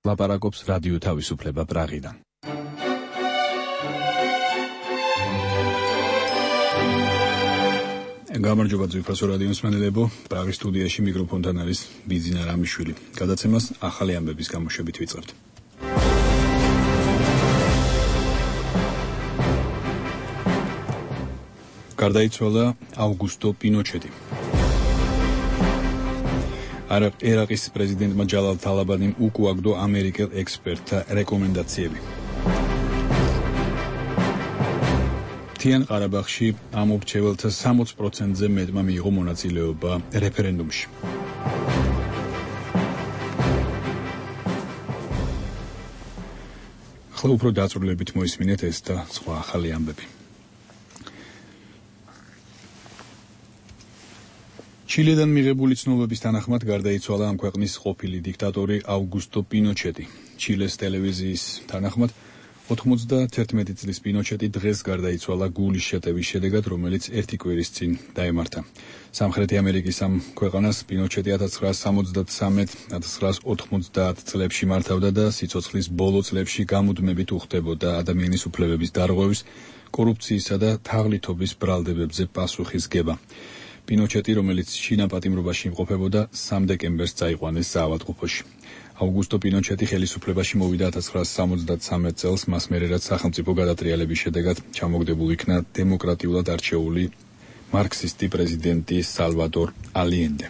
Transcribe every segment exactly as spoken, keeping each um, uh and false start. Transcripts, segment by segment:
ლაპარაკობს რადიო თავისუფლება პრაღიდან. გამარჯობა ძვირფასო რადიო მსმენელებო, პრაღის სტუდიაში მიკროფონთან არის ბიძინა რამიშვილი. გადაცემას ახალი ამბების გამოშვებით ვიწყებთ. გარდაიცვალა აუგუსტო პინოჩეტი. ერაყის პრეზიდენტმა ჯალალ თალაბანიმ უკუაგდო ამერიკელ ექსპერტთა რეკომენდაციები. მთიან ყარაბაღში ამომრჩეველთა სამოცი პროცენტზე მეტმა მიიღო მონაწილეობა რეფერენდუმში. ახლა უფრო დაწვრილებით მოისმინეთ ეს და სხვა ახალი ამბები. ჩილედან მიღებული ცნობების თანახმად გარდაიცვალა ამ ქვეყნის ყოფილი დიქტატორი აუგუსტო პინოჩეტი. ჩილეს ტელევიზიის თანახმად ოთხმოცდაათერთმეტი წლის პინოჩეტი დღეს გარდაიცვალა გულის შეტევის შედეგად, რომელიც ერთი კვირის წინ დაემართა. სამხრეთი ამერიკის ამ ქვეყანას პინოჩეტი ათას ცხრაასა სამოცდათსამეტ ათას ცხრაასა ოთხმოცდაათ წლებში მართავდა და სიცოცხლის ბოლო წლებში გამუდმებით უხდებოდა ადამიანის უფლებების დარღვევის, კორუფციისა და თაღლითობის ბრალდებებზე პასუხისგება. პინოჩეტი, რომელიც შინაპატიმრობაში იმყოფებოდა, სამ დეკემბერს წაიყვანეს საავადმყოფოში. აუგუსტო პინოჩეტი ხელისუფლებაში მოვიდა ათას ცხრაასა სამოცდათსამეტ წელს, მას მერე რაც სახელმწიფო გადატრიალების შედეგად ჩამოგდებულ იქნა დემოკრატიულად არჩეული მარქსისტი პრეზიდენტი სალვადორ ალიენდე.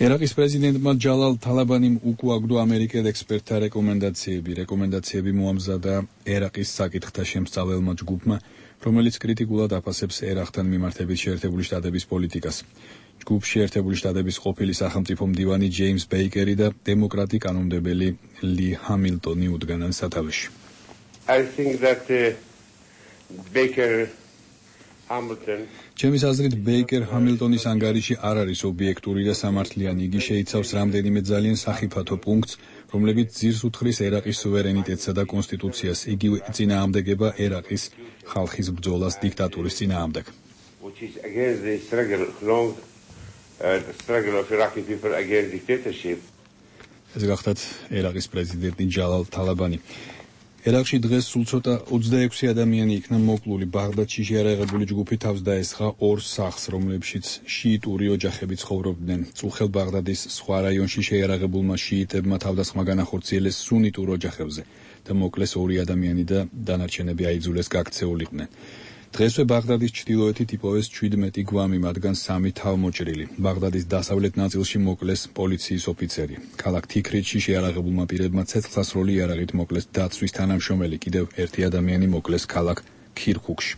ერაყის პრეზიდენტმა ჯალალ თალაბანიმ უკუაგდო ამერიკელ ექსპერტთა რეკომენდაციები. რეკომენდაციები მოამზადა ერაყის საკითხთა შემსწავლელმა ჯგუფმა, რომელიც კრიტიკულად აფასებს ერაყთან მიმართებით შეერთებული შტატების პოლიტიკას. ჯგუფში ერთებული შტატების ყოფილი სახელმწიფო მდივანი ჯეიმს ბეიკერი და დემოკრატი კანონმდებელი ლი ჰამილტონი უდგანან სათავეში. I think that uh, Baker Hamilton ჩემის აზრით ბეიკერ ჰამილტონის ანგარიში არ არის ობიექტური და სამართლიანი. იგი შეიცავს რამდენიმე ძალიან სახიფათო პუნქტს, რომლებიც ძირს უთხრის ერაყის სუვერენიტეტსა და კონსტიტუციას. იგივე წინააღმდეგება ერაყის ხალხის ბრძოლას დიქტატურის წინააღმდეგ. which is against the struggle long uh, the struggle of Iraqi people against dictatorship. ეს გახლავთ ერაყის პრეზიდენტი ჯალალ თალაბანი. ერაყში დღეს სულ ცოტა ოცდაექვსი ადამიანი იქნა მოკლული. ბაღდადში შეიარაღებული ჯგუფი თავს დაესხა ორ სახლს, რომლებშიც შიიტური ოჯახები ცხოვრობდნენ. წუხელ ბაღდადის სხვა რაიონში შეიარაღებულმა შიიტებმა თავდასხმა განახორციელეს სუნიტურ ოჯახებზე და მოკლეს ორი ადამიანი და დანარჩენები აიძულეს გაქცეულიყვნენ. დღესვე ბაღდადის ჩრდილოეთით იპოვეს შვიდმეტი გვამი, მათგან სამი თავმოჭრილი. ბაღდადის დასავლეთ ნაწილში მოკლეს პოლიციის ოფიცერი. ქალაქ თიქრიტში შეიარაღებულმა პირებმა ცეცხლსასროლი იარაღით მოკლეს დაცვის თანამშრომელი. კიდევ ერთი ადამიანი მოკლეს ქალაქ ქირქუქში.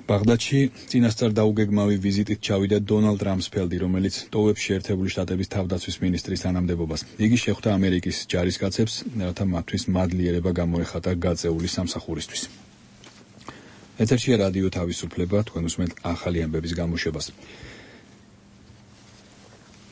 ბაღდადში წინასწარ დაუგეგმავი ვიზიტით ჩავიდა დონალდ რამსფელდი, რომელიც ტოვებს შეერთებული შტატების თავდაცვის მინისტრის თანამდებობას. იგი შეხვდა ამერიკის ჯარისკაცებს, რათა მათთვის მადლიერება გამოეხატა გაწეული სამსახურისთვის. ეთერშია რადიო თავისუფლება, თქვენ უსმენთ ახალი ამბების გამოშვებას.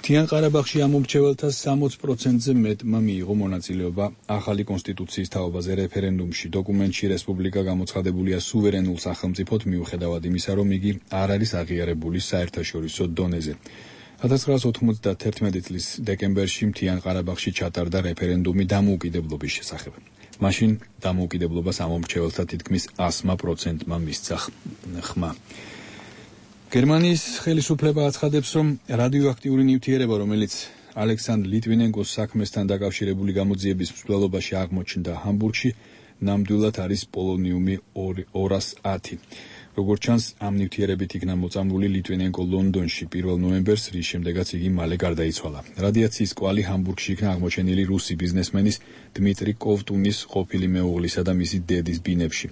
მთიან ყარაბაღში ამომრჩეველთა სამოცი პროცენტზე მეტმა მიიღო მონაწილეობა ახალი კონსტიტუციის თაობაზე რეფერენდუმში. დოკუმენტში რესპუბლიკა გამოცხადებულია სუვერენულ სახელმწიფოდ, მიუხედავად იმისა, რომ იგი არ არის აღიარებული საერთაშორისო დონეზე. ათას ცხრაასა ოცდაათერთმეტი წლის დეკემბერში მთიან ყარაბაღში ჩატარდა რეფერენდუმი დამოუკიდებლობის შესახებ. მაშინ დამოუკიდებლობას ამომრჩეველთა თითქმის ასმა პროცენტმა მისცა ხმა. გერმანიის ხელისუფლება აცხადებს, რომ რადიოაქტიური ნივთიერება, რომელიც ალექსანდრ ლიტვინენკოს საქმესთან დაკავშირებული გამოძიების მსვლელობაში აღმოჩნდა ჰამბურგში, ნამდვილად არის პოლონიუმი ორასი ათი. როგორც ჩანს, ამ ნივთიერებით იქნა მოწამლული ლიტვინენკო ლონდონში პირველ ნოემბერს, რის შემდეგაც იგი მალე გარდაიცვალა. რადიაციის კვალი ჰამბურგში იქნა აღმოჩენილი რუსი ბიზნესმენის დმიტრი კოვტუნის ყოფილი მეუღლისა და მისი დედის ბინებში.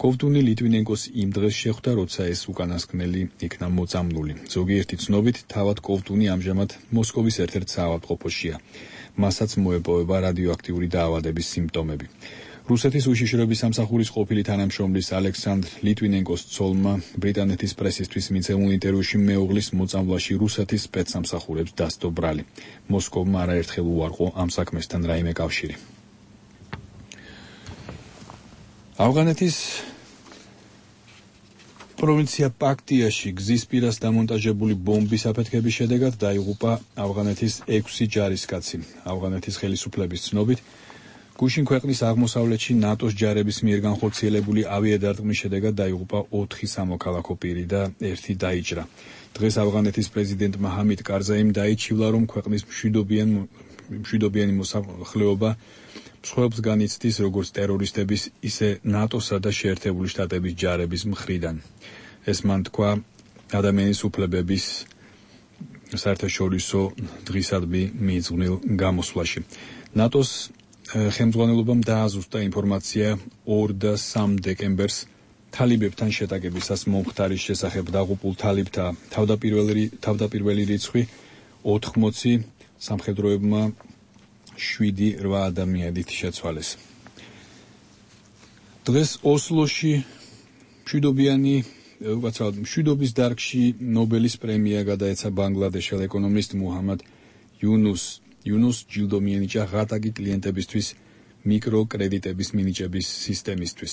კოვტუნი ლიტვინენკოს იმ დღეს შეხვდა, როცა ეს უკანასკნელი იქნა მოწამლული. ზოგიერთი ცნობით, თავად კოვტუნი ამჟამად მოსკოვის ერთ-ერთ საავადმყოფოშია. მასაც მოეპოვება რადიოაქტიური დაავადების სიმპტომები. რუსეთის უშიშროების სამსახურის ყოფილი თანამშრომლის ალექსანდრ ლიტვინენკოს ცოლმა ბრიტანეთის პრესისთვის მიცემულ ინტერვიუში მეუღლის მოწამვლაში რუსეთის სპეცსამსახურებს დასდო ბრალი. მოსკოვმა არაერთხელ უარყო ამ საქმესთან რაიმე კავშირი. ავღანეთის პროვინცია პაქტიაში გზის პირას დამონტაჟებული ბომბის აფეთქების შედეგად დაიღუპა ავღანეთის ექვსი ჯარისკაცი. ავღანეთის ხელისუფლების ცნობით, გუშინ ქვეყნის აღმოსავლეთში ნატოს ჯარების მიერ განხორციელებული ავიადარტყმის შედეგად დაიღუპა ოთხი სამოქალაქო პირი და ერთი დაიჭრა. დღეს ავღანეთის პრეზიდენტმა ჰამიდ კარზაიმ დაიჩივლა, რომ ქვეყნის მშვიდობიან მშვიდობიანი მოსახლეობა მსხვერპლს განიცდის როგორც ტერორისტების, ისე ნატოსა და შეერთებული შტატების ჯარების მხრიდან. ეს მან თქვა ადამიანის უფლებების საერთაშორისო დღისადმი მიძღვნილ გამოსვლაში. ნატოს ხელმძღვანელობამ დააზუსტა ინფორმაცია ორ და სამ დეკემბერს თალიბებთან შეტაკებისას მომხდარის შესახებ დაღუპულ თალიბთა თავდაპირველი თავდაპირველი რიცხვი ოთხმოცი, სამხედროებმა შვიდი რვა ადამიანით შეცვალეს. დღეს ოსლოში მშვიდობიანი უცალ მშვიდობის დარგში ნობელის პრემია გადაეცა ბანგლადეშელ ეკონომისტ მუჰამად იუნუს იუნუს ჯილდო მიენიჭა ღატაკი კლიენტებისთვის მიკროკრედიტების მინიჭების სისტემისთვის.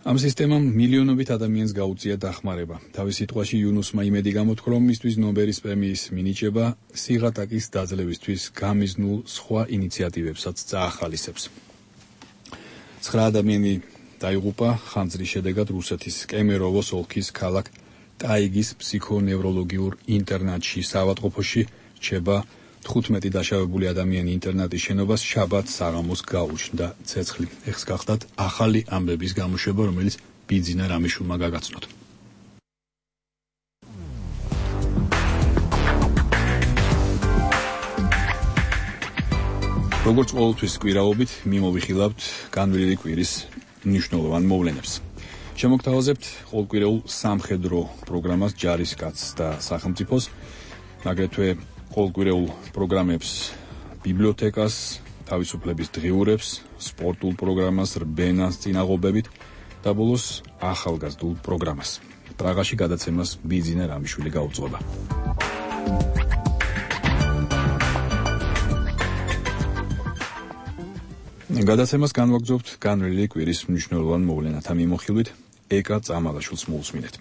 ამ სისტემამ მილიონობით ადამიანს გაუწია დახმარება. თავის სიტყვაში იუნუსმა იმედი გამოთქვა, რომ მისთვის ნობელის პრემიის მინიჭება სიღატაკის დაძლევისთვის გამიზნულ სხვა ინიციატივებსაც წაახალისებს. ცხრა ადამიანი დაიღუპა ხანძრის შედეგად რუსეთის კემეროვოს ოლქის ქალაქ ტაიგის ფსიქონევროლოგიურ ინტერნატში. საავადმყოფოში რჩება თხუთმეტი დაშავებული ადამიანი ინტერნატის შენობას შაბათს საღამოს გაუჩნდა ცეცხლი. ეხს გახდათ ახალი ამბების გამოშვება, რომელიც ბიძინა რამიშულმა გაგაცნოთ. როგორც ყოველთვის კვირაობით მიმოვიხილავთ განვლილი კვირის მნიშვნელოვან მოვლენებს. შემოგთავაზებთ ყოველკვირეულ სამხედრო პროგრამას ჯარისკაცს და სახელმწიფოს, აგრეთვე ყოველკვირეულ პროგრამებს ბიბლიოთეკას, თავისუფლების დღიურებს, სპორტულ პროგრამას რბენას წინაღობებით და ბოლოს ახალგაზრდულ პროგრამას. პრაღაში გადაცემას ბიძინა რამიშვილი გაუძღვება. გადაცემას განვაგრძობთ განვლილი კვირის მნიშვნელოვან მოვლენათა მიმოხილვით. ეკა წამალაშვილს მოусმინეთ.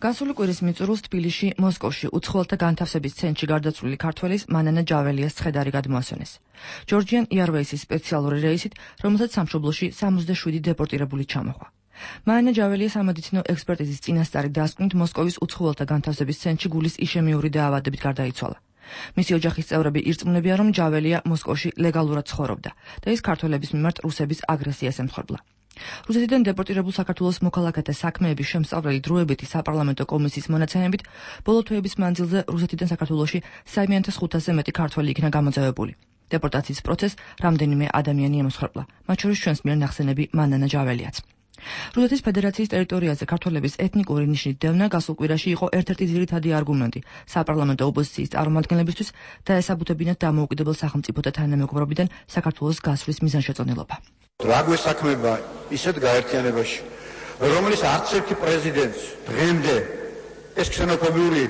გასული კვირის მიწურულს თბილისში, მოსკოვში უცხოელთა განთავსების ცენტრში გარდაცვლილი ქართველის მანანა ჯაველიას ცხედარი გადმოასვენეს. ჯორჯიან იარვეისის სპეციალური რეისით, რომელსაც სამშობლოში სამოცდაშვიდი დეპორტირებული ჩამოხვა. მანანა ჯაველიას სამედიცინო ექსპერტიზის წინასწარი დასკვნით მოსკოვის უცხოელთა განთავსების ცენტრში გულის იშემიური დაავადებით გარდაიცვალა. მისი ოჯახის წევრები ირწმუნებიან, რომ ჯაველია მოსკოვში ლეგალურად ცხოვრობდა და ის ქართველების მიმართ რუსების აგრესიას ემსხვერპლა. რუსეთიდან დეპორტირებულ საქართველოს მოქალაქეთა საქმეების შემსწავლელი დროებითი საპარლამენტო კომისიის მონაცემებით, ბოლო თვეების მანძილზე რუსეთიდან საქართველოში სამი ათას ხუთასზე მეტი ქართველი იქნა გამოძევებული. დეპორტაციის პროცესს რამდენიმე ადამიანი ემსხვერპლა, მათ შორის ჩვენს მიერ ნახსენები მანანა ჯაველიაც. რუსეთის ფედერაციის ტერიტორიაზე ქართველების ეთნიკური ნიშნით დევნა გასულ კვირაში იყო ერთ-ერთი ძირითადი არგუმენტი საპარლამენტო ოპოზიციის წარმომადგენლებისთვის და ესაბუთებინათ დამოუკიდებელ სახელმწიფოთა თანამეგობრობიდან საქართველოს გასვლის მიზანშეწონილობა. რა გვესაქმება ისეთ გაერთიანებაში, რომლის არც ერთი პრეზიდენტს დღემდე ეს ქსენოფობიური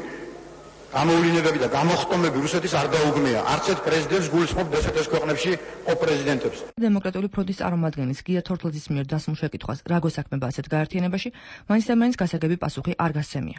გამოვლინებები და გამოხტომები რუსეთის არ დაუგმეა. არც ერთ პრეზიდენტს გულისხმობ ესეთ ქვეყნებში ყოფ პრეზიდენტებს. დემოკრატიული ფრონტის წარმომადგენლის გია თორთლაძის მიერ დასმულ შეკითხვას რა გვესაქმება ასეთ გაერთიანებაში, მაინც და მაინც გასაგები პასუხი არ გასცემია.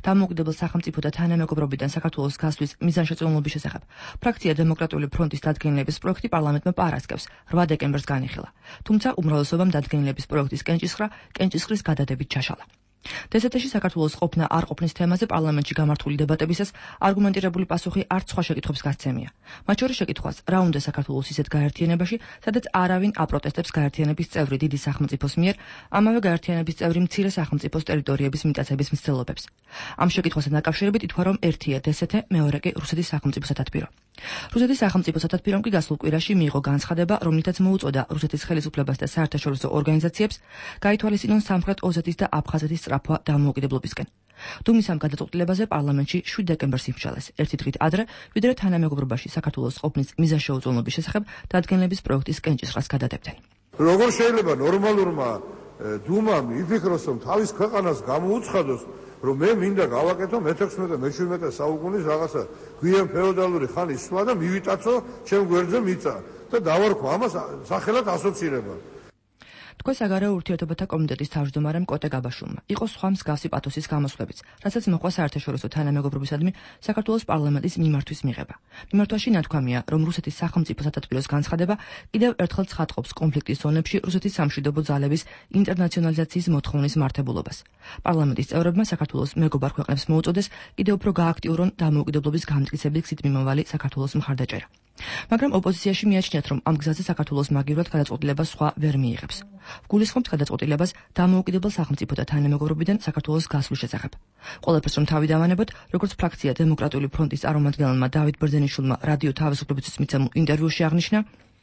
დამოუკიდებელ სახელმწიფოთა თანამეგობრობიდან საქართველოს გასვლის მიზანშეწონილობის შესახებ ფრაქცია დემოკრატიული ფრონტის დადგენილების პროექტი პარლამენტმა პარასკევს რვა დეკემბერს განიხილა. თუმცა უმრავლესობამ დადგენილების პროექტის კენჭისხრა კენჭისხრის გადადებით ჩაშალა. დსთ-ში საქართველოს ყოფნა არ ყოფნის თემაზე პარლამენტში გამართული დებატებისას არგუმენტირებული პასუხი არც სხვა შეკითხვებს გასცემია. მათ შორის შეკითხვას, რა უნდა საქართველოს ისეთ გაერთიანებაში, სადაც არავინ აპროტესტებს გაერთიანების წევრი დიდი სახელმწიფოს მიერ, ამავე გაერთიანების წევრი მცირე სახელმწიფოს ტერიტორიების მიტაცების მცდელობებს. ამ შეკითხვასთან დაკავშირებით ითქვა, რომ ერთია დსთ, მეორე კი რუსეთის სახელმწიფო სათათბირო. რუსეთის სახელმწიფო სათათბირომ კი გასულ კვირაში მიიღო განცხადება, რომლითაც მოუწოდა რუსეთის ხელისუფლებას და საერთაშორისო ორგანიზაციებს გაითვალისწინონ სამხრეთ ოსეთის და აფხაზეთის სწრაფვა დამოუკიდებლობისკენ. დუმის ამ გადაწყვეტილებაზე პარლამენტში შვიდ დეკემბერს იმშალეს, ერთი დღით ადრე, ვიდრე თანამეგობრობაში საქართველოს ყოფნის მიზანშეუწონილობის შესახებ დადგენილების პროექტის კენჭისყრას გადადებდნენ. როგორ შეიძლება ნორმალურმა დუმამ იფიქროს, რომ თავის ქვეყანას გამოუცხადოს, რომ მე მინდა გავაკეთო მეთექვსმეტე მეჩვიდმეტე საუკუნის რაღაცა გვიან ფეოდალური ხანის სვლა და მივიტაცო ჩემ გვერდზე მიწა და დავარქვა ამას სახელად ასოცირება. თქვენ საგარეო ურთიერთობათა კომიტეტის თავმჯდომარემ კოტე გაბაშულმა იყო სხვა მსგავსი პათოსის გამოსვლებიც, რასაც მოყვა საერთაშორისო თანამეგობრობისადმი საქართველოს პარლამენტის მიმართვის მიღება. მიმართვაში ნათქვამია, რომ რუსეთის სახელმწიფო სათათბიროს განცხადება კიდევ ერთხელ ცხადყოფს კონფლიქტის ზონებში რუსეთის სამშვიდობო ძალების ინტერნაციონალიზაციის მოთხოვნის მართებულობას. პარლამენტის წევრებმა საქართველოს მეგობარ ქვეყნებს მოუწოდეს კიდევ უფრო გააქტიურონ დამოუკიდებლობის გამტკიცების გზით მიმავალი საქართველოს მხარდაჭერა. მაგრამ ოპოზიციაში მიაჩნიათ, რომ ამ გზაზე საქართველოს მაგივრად გადაწყვეტილებას სხვა ვერ მიიღებს. გულისხმობთ გადაწყვეტილებას დამოუკიდებელ სახელმწიფოთა თანამეგობრობიდან საქართველოს გასვლის შესახებ. ყველაფერს რომ თავი დავანებოთ, როგორც ფრაქცია დემოკრატიული ფრონტის წარმომადგენელმა დავით ბერძენიშვილმა რადიო თავისუფლებისთვის მიცემულ ინტერვიუში აღნიშნა,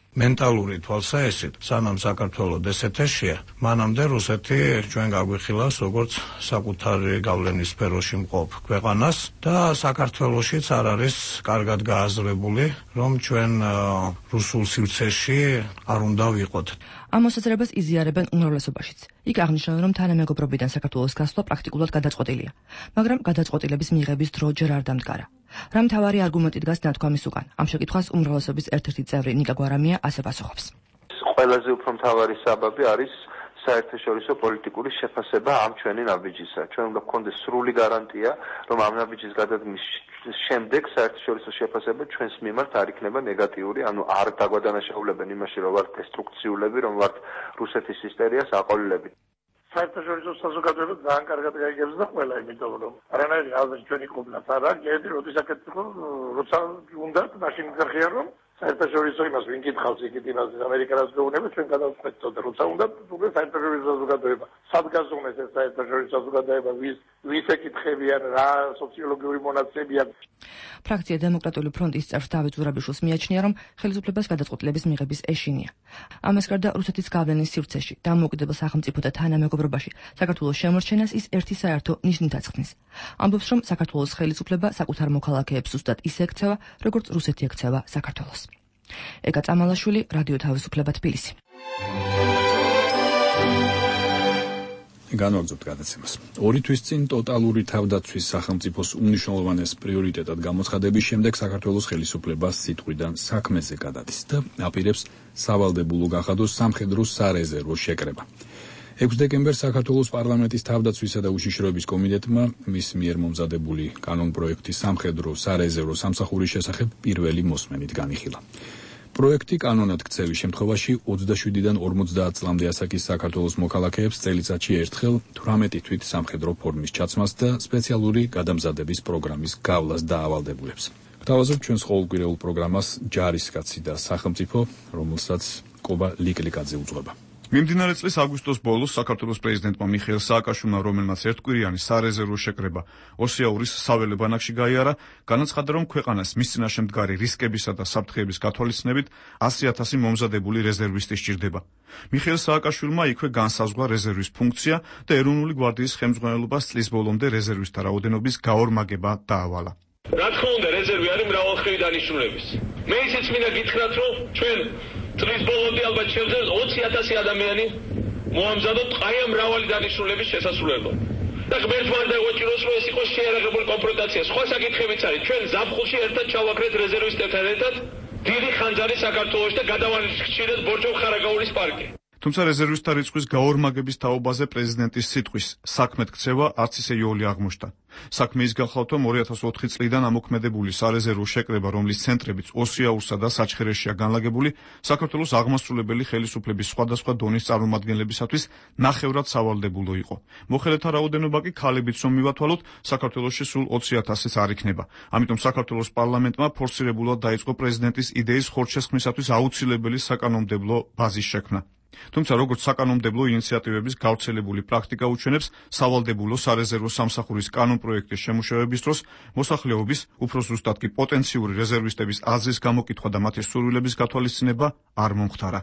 მენტალური თვალსაჩინო, სანამ საქართველოს ესეთეშია, მანამდე რუსეთი ჩვენ გაგვიხილავს როგორც საკუთარი გავლენის სფეროში მყოფ ქვეყანას და საქართველოშიც არ არის კარგად გააზრებული, რომ ჩვენ რუსულ სივრცეში არ უნდა ვიყოთ. ამ მოსაზრებას იზიარებენ უმრავლესობაშიც. იქ აღნიშნავენ, რომ თანამეგობრობიდან საქართველოს გასვლა პრაქტიკულად გადაწყვეტილია, მაგრამ გადაწყვეტილების მიღების დრო ჯერ არ დამდგარა. რა მთავარი არგუმენტი დგას ნათქვამის უკან? ამ შეკითხვას უმრავლესობის ერთ-ერთი წევრი ნიკა გვარამია ასე პასუხობს. ყველაზე უფრო მთავარი საბაბი არის საერთაშორისო პოლიტიკური შეფასება ამ ჩვენი ნაბიჯისა. ჩვენ უნდა გქონდეს სრული გარანტია, რომ ამ ნაბიჯის გადადგმის შემდეგ საერთაშორისო შეფასება ჩვენს მიმართ არ იქნება ნეგატიური, ანუ არ დაგვადანაშაულებენ იმაში, რომ ვართ დესტრუქციულები, რომ ვართ რუსეთის ჰისტერიას აყოლილები. საერთაშორისო საზოგადოება ძალიან კარგად გაიგებს და ყველა, იმიტომ რომ არანაირი აზრი ჩვენი ყოფნაც არ არის, ერთი როდის აკეთებო, როცა უნდა მაშინ გახია რომ საერთაშორისო იმას ვინ კითხავს იქით იმას ამერიკას გეუბნება ჩვენ გადავწყვეტოთ და როცა უნდა უკვე საერთაშორისო საზოგადოება სადგაზუნეს ეს საერთაშორისო საზოგადოება ვის ვის ეკითხებიან რა სოციოლოგიური მონაცემებია. ფრაქცია დემოკრატიული ფრონტის წევრ დავით ზურაბიშვილს მიაჩნია, რომ ხელისუფლებას გადაწყვეტილების მიღების ეშინია. ამას გარდა რუსეთის გავლენის სივრცეში დამოუკიდებელ სახელმწიფოთა თანამეგობრობაში საქართველოს შემორჩენას ის ერთი საერთო ნიშნით აცხნის. ამბობს, რომ საქართველოს ხელისუფლება საკუთარ მოქალაქეებს ზუსტად ისე ექცევა, როგორც რუსეთი ექცევა საქართველოს. ეკა წამალაშვილი, რადიო თავისუფლება, თბილისი. განვაგრძობთ გადაცემას. ორი თვის წინ ტოტალური თავდაცვის სახელმწიფოს უმნიშვნელოვანეს პრიორიტეტად გამოცხადების შემდეგ საქართველოს ხელისუფლება სიტყვიდან საქმეზე გადადის და აპირებს სავალდებულო გახადოს სამხედრო სარეზერვო შეკრება. ექვსი დეკემბერს საქართველოს პარლამენტის თავდაცვისა და უშიშროების კომიტეტმა მის მიერ მომზადებული კანონპროექტის სამხედრო სარეზერვო სამსახურის შესახებ პირველი მოსმენით განიხილა. პროექტი კანონად ქცევის შემთხვევაში ოცდაშვიდიდან ორმოცდაათ წლამდე ასაკის საქართველოს მოქალაქეებს წელიწადში ერთხელ თვრამეტი თვით სამხედრო ფორმის ჩაცმას და სპეციალური გადამზადების პროგრამის გავლას დაავალდებულებს. გთავაზობთ ჩვენს ყოველკვირეულ პროგრამას ჯარისკაცი და სახელმწიფო, რომელსაც კობა ლიკლიკაძე უძღვება. მიმდინარე წლის აგვისტოს ბოლოს საქართველოს პრეზიდენტმა მიხეილ სააკაშვილმა, რომელმაც ერთკვირიანი სარეზერვო შეკრება ოსიაურის საველე ბანაკში გაიარა, განაცხადა, რომ ქვეყანას მის წინაშე მდგარი რისკებისა და საფრთხეების გათვალისწინებით ასი ათასი მომზადებული რეზერვისტი სჭირდება. მიხეილ სააკაშვილმა იქვე განსაზღვრა რეზერვის ფუნქცია და ეროვნული გვარდიის ხელმძღვანელობას წლის ბოლომდე რეზერვისტთა რაოდენობის გაორმაგება დაავალა. რა თქმა უნდა, რეზერვი არის მრავალხრივი დანიშნულების. მე ისიც მინდა გითხრათ, რომ ჩვენ წლის ბოლომდე ალბათ შევძლებთ ოცი ათასი ადამიანი მოამზადოთ ყაია მრავალი დანიშნულების შესასრულებლად. და ღმერთმა არ დაგვაჭიროს, რომ ეს იყოს შეიარაღებული კონფრონტაცია. სხვა საკითხებიც არის. ჩვენ ზაფხულში ერთად ჩავაქრეთ რეზერვისტებთან ერთად დიდი ხანძარი საქართველოში და გადავანხშირეთ ბორჯომ-ხარაგაულის პარკი. თუმცა რეზერვისტთა რიცხვის გაორმაგების თაობაზე პრეზიდენტის სიტყვის საქმეთ ქცევა არც ისე იოლი აღმოჩნდა. საქმე ის გახლავთ, რომ ორი ათას ოთხი წლიდან ამოქმედებული სარეზერვო შეკრება, რომლის ცენტრებიც ოსიაურსა და საჩხერეშია განლაგებული, საქართველოს აღმასრულებელი ხელისუფლების სხვადასხვა დონის წარმომადგენლებისათვის ნახევრად სავალდებულო იყო. მოხელეთა რაოდენობა კი ქალებიც რომ მივათვალოთ, საქართველოში სულ ოცი ათასიც არ იქნება. ამიტომ საქართველოს პარლამენტმა ფორსირებულად დაიწყო პრეზიდენტის იდეის ხორცშესხმისათვის აუცილებელი საკანონმდებლო ბაზის შექმნა. თუმცა როგორც საკანონმდებლო ინიციატივების გავრცელებული პრაქტიკა უჩვენებს, სავალდებულო სარეზერვო სამსახურის კანონპროექტის შემუშავების დროს მოსახლეობის, უფრო ზუსტად კი პოტენციური რეზერვისტების აზრის გამოკითხვა და მათი სურვილების გათვალისწინება არ მომხდარა.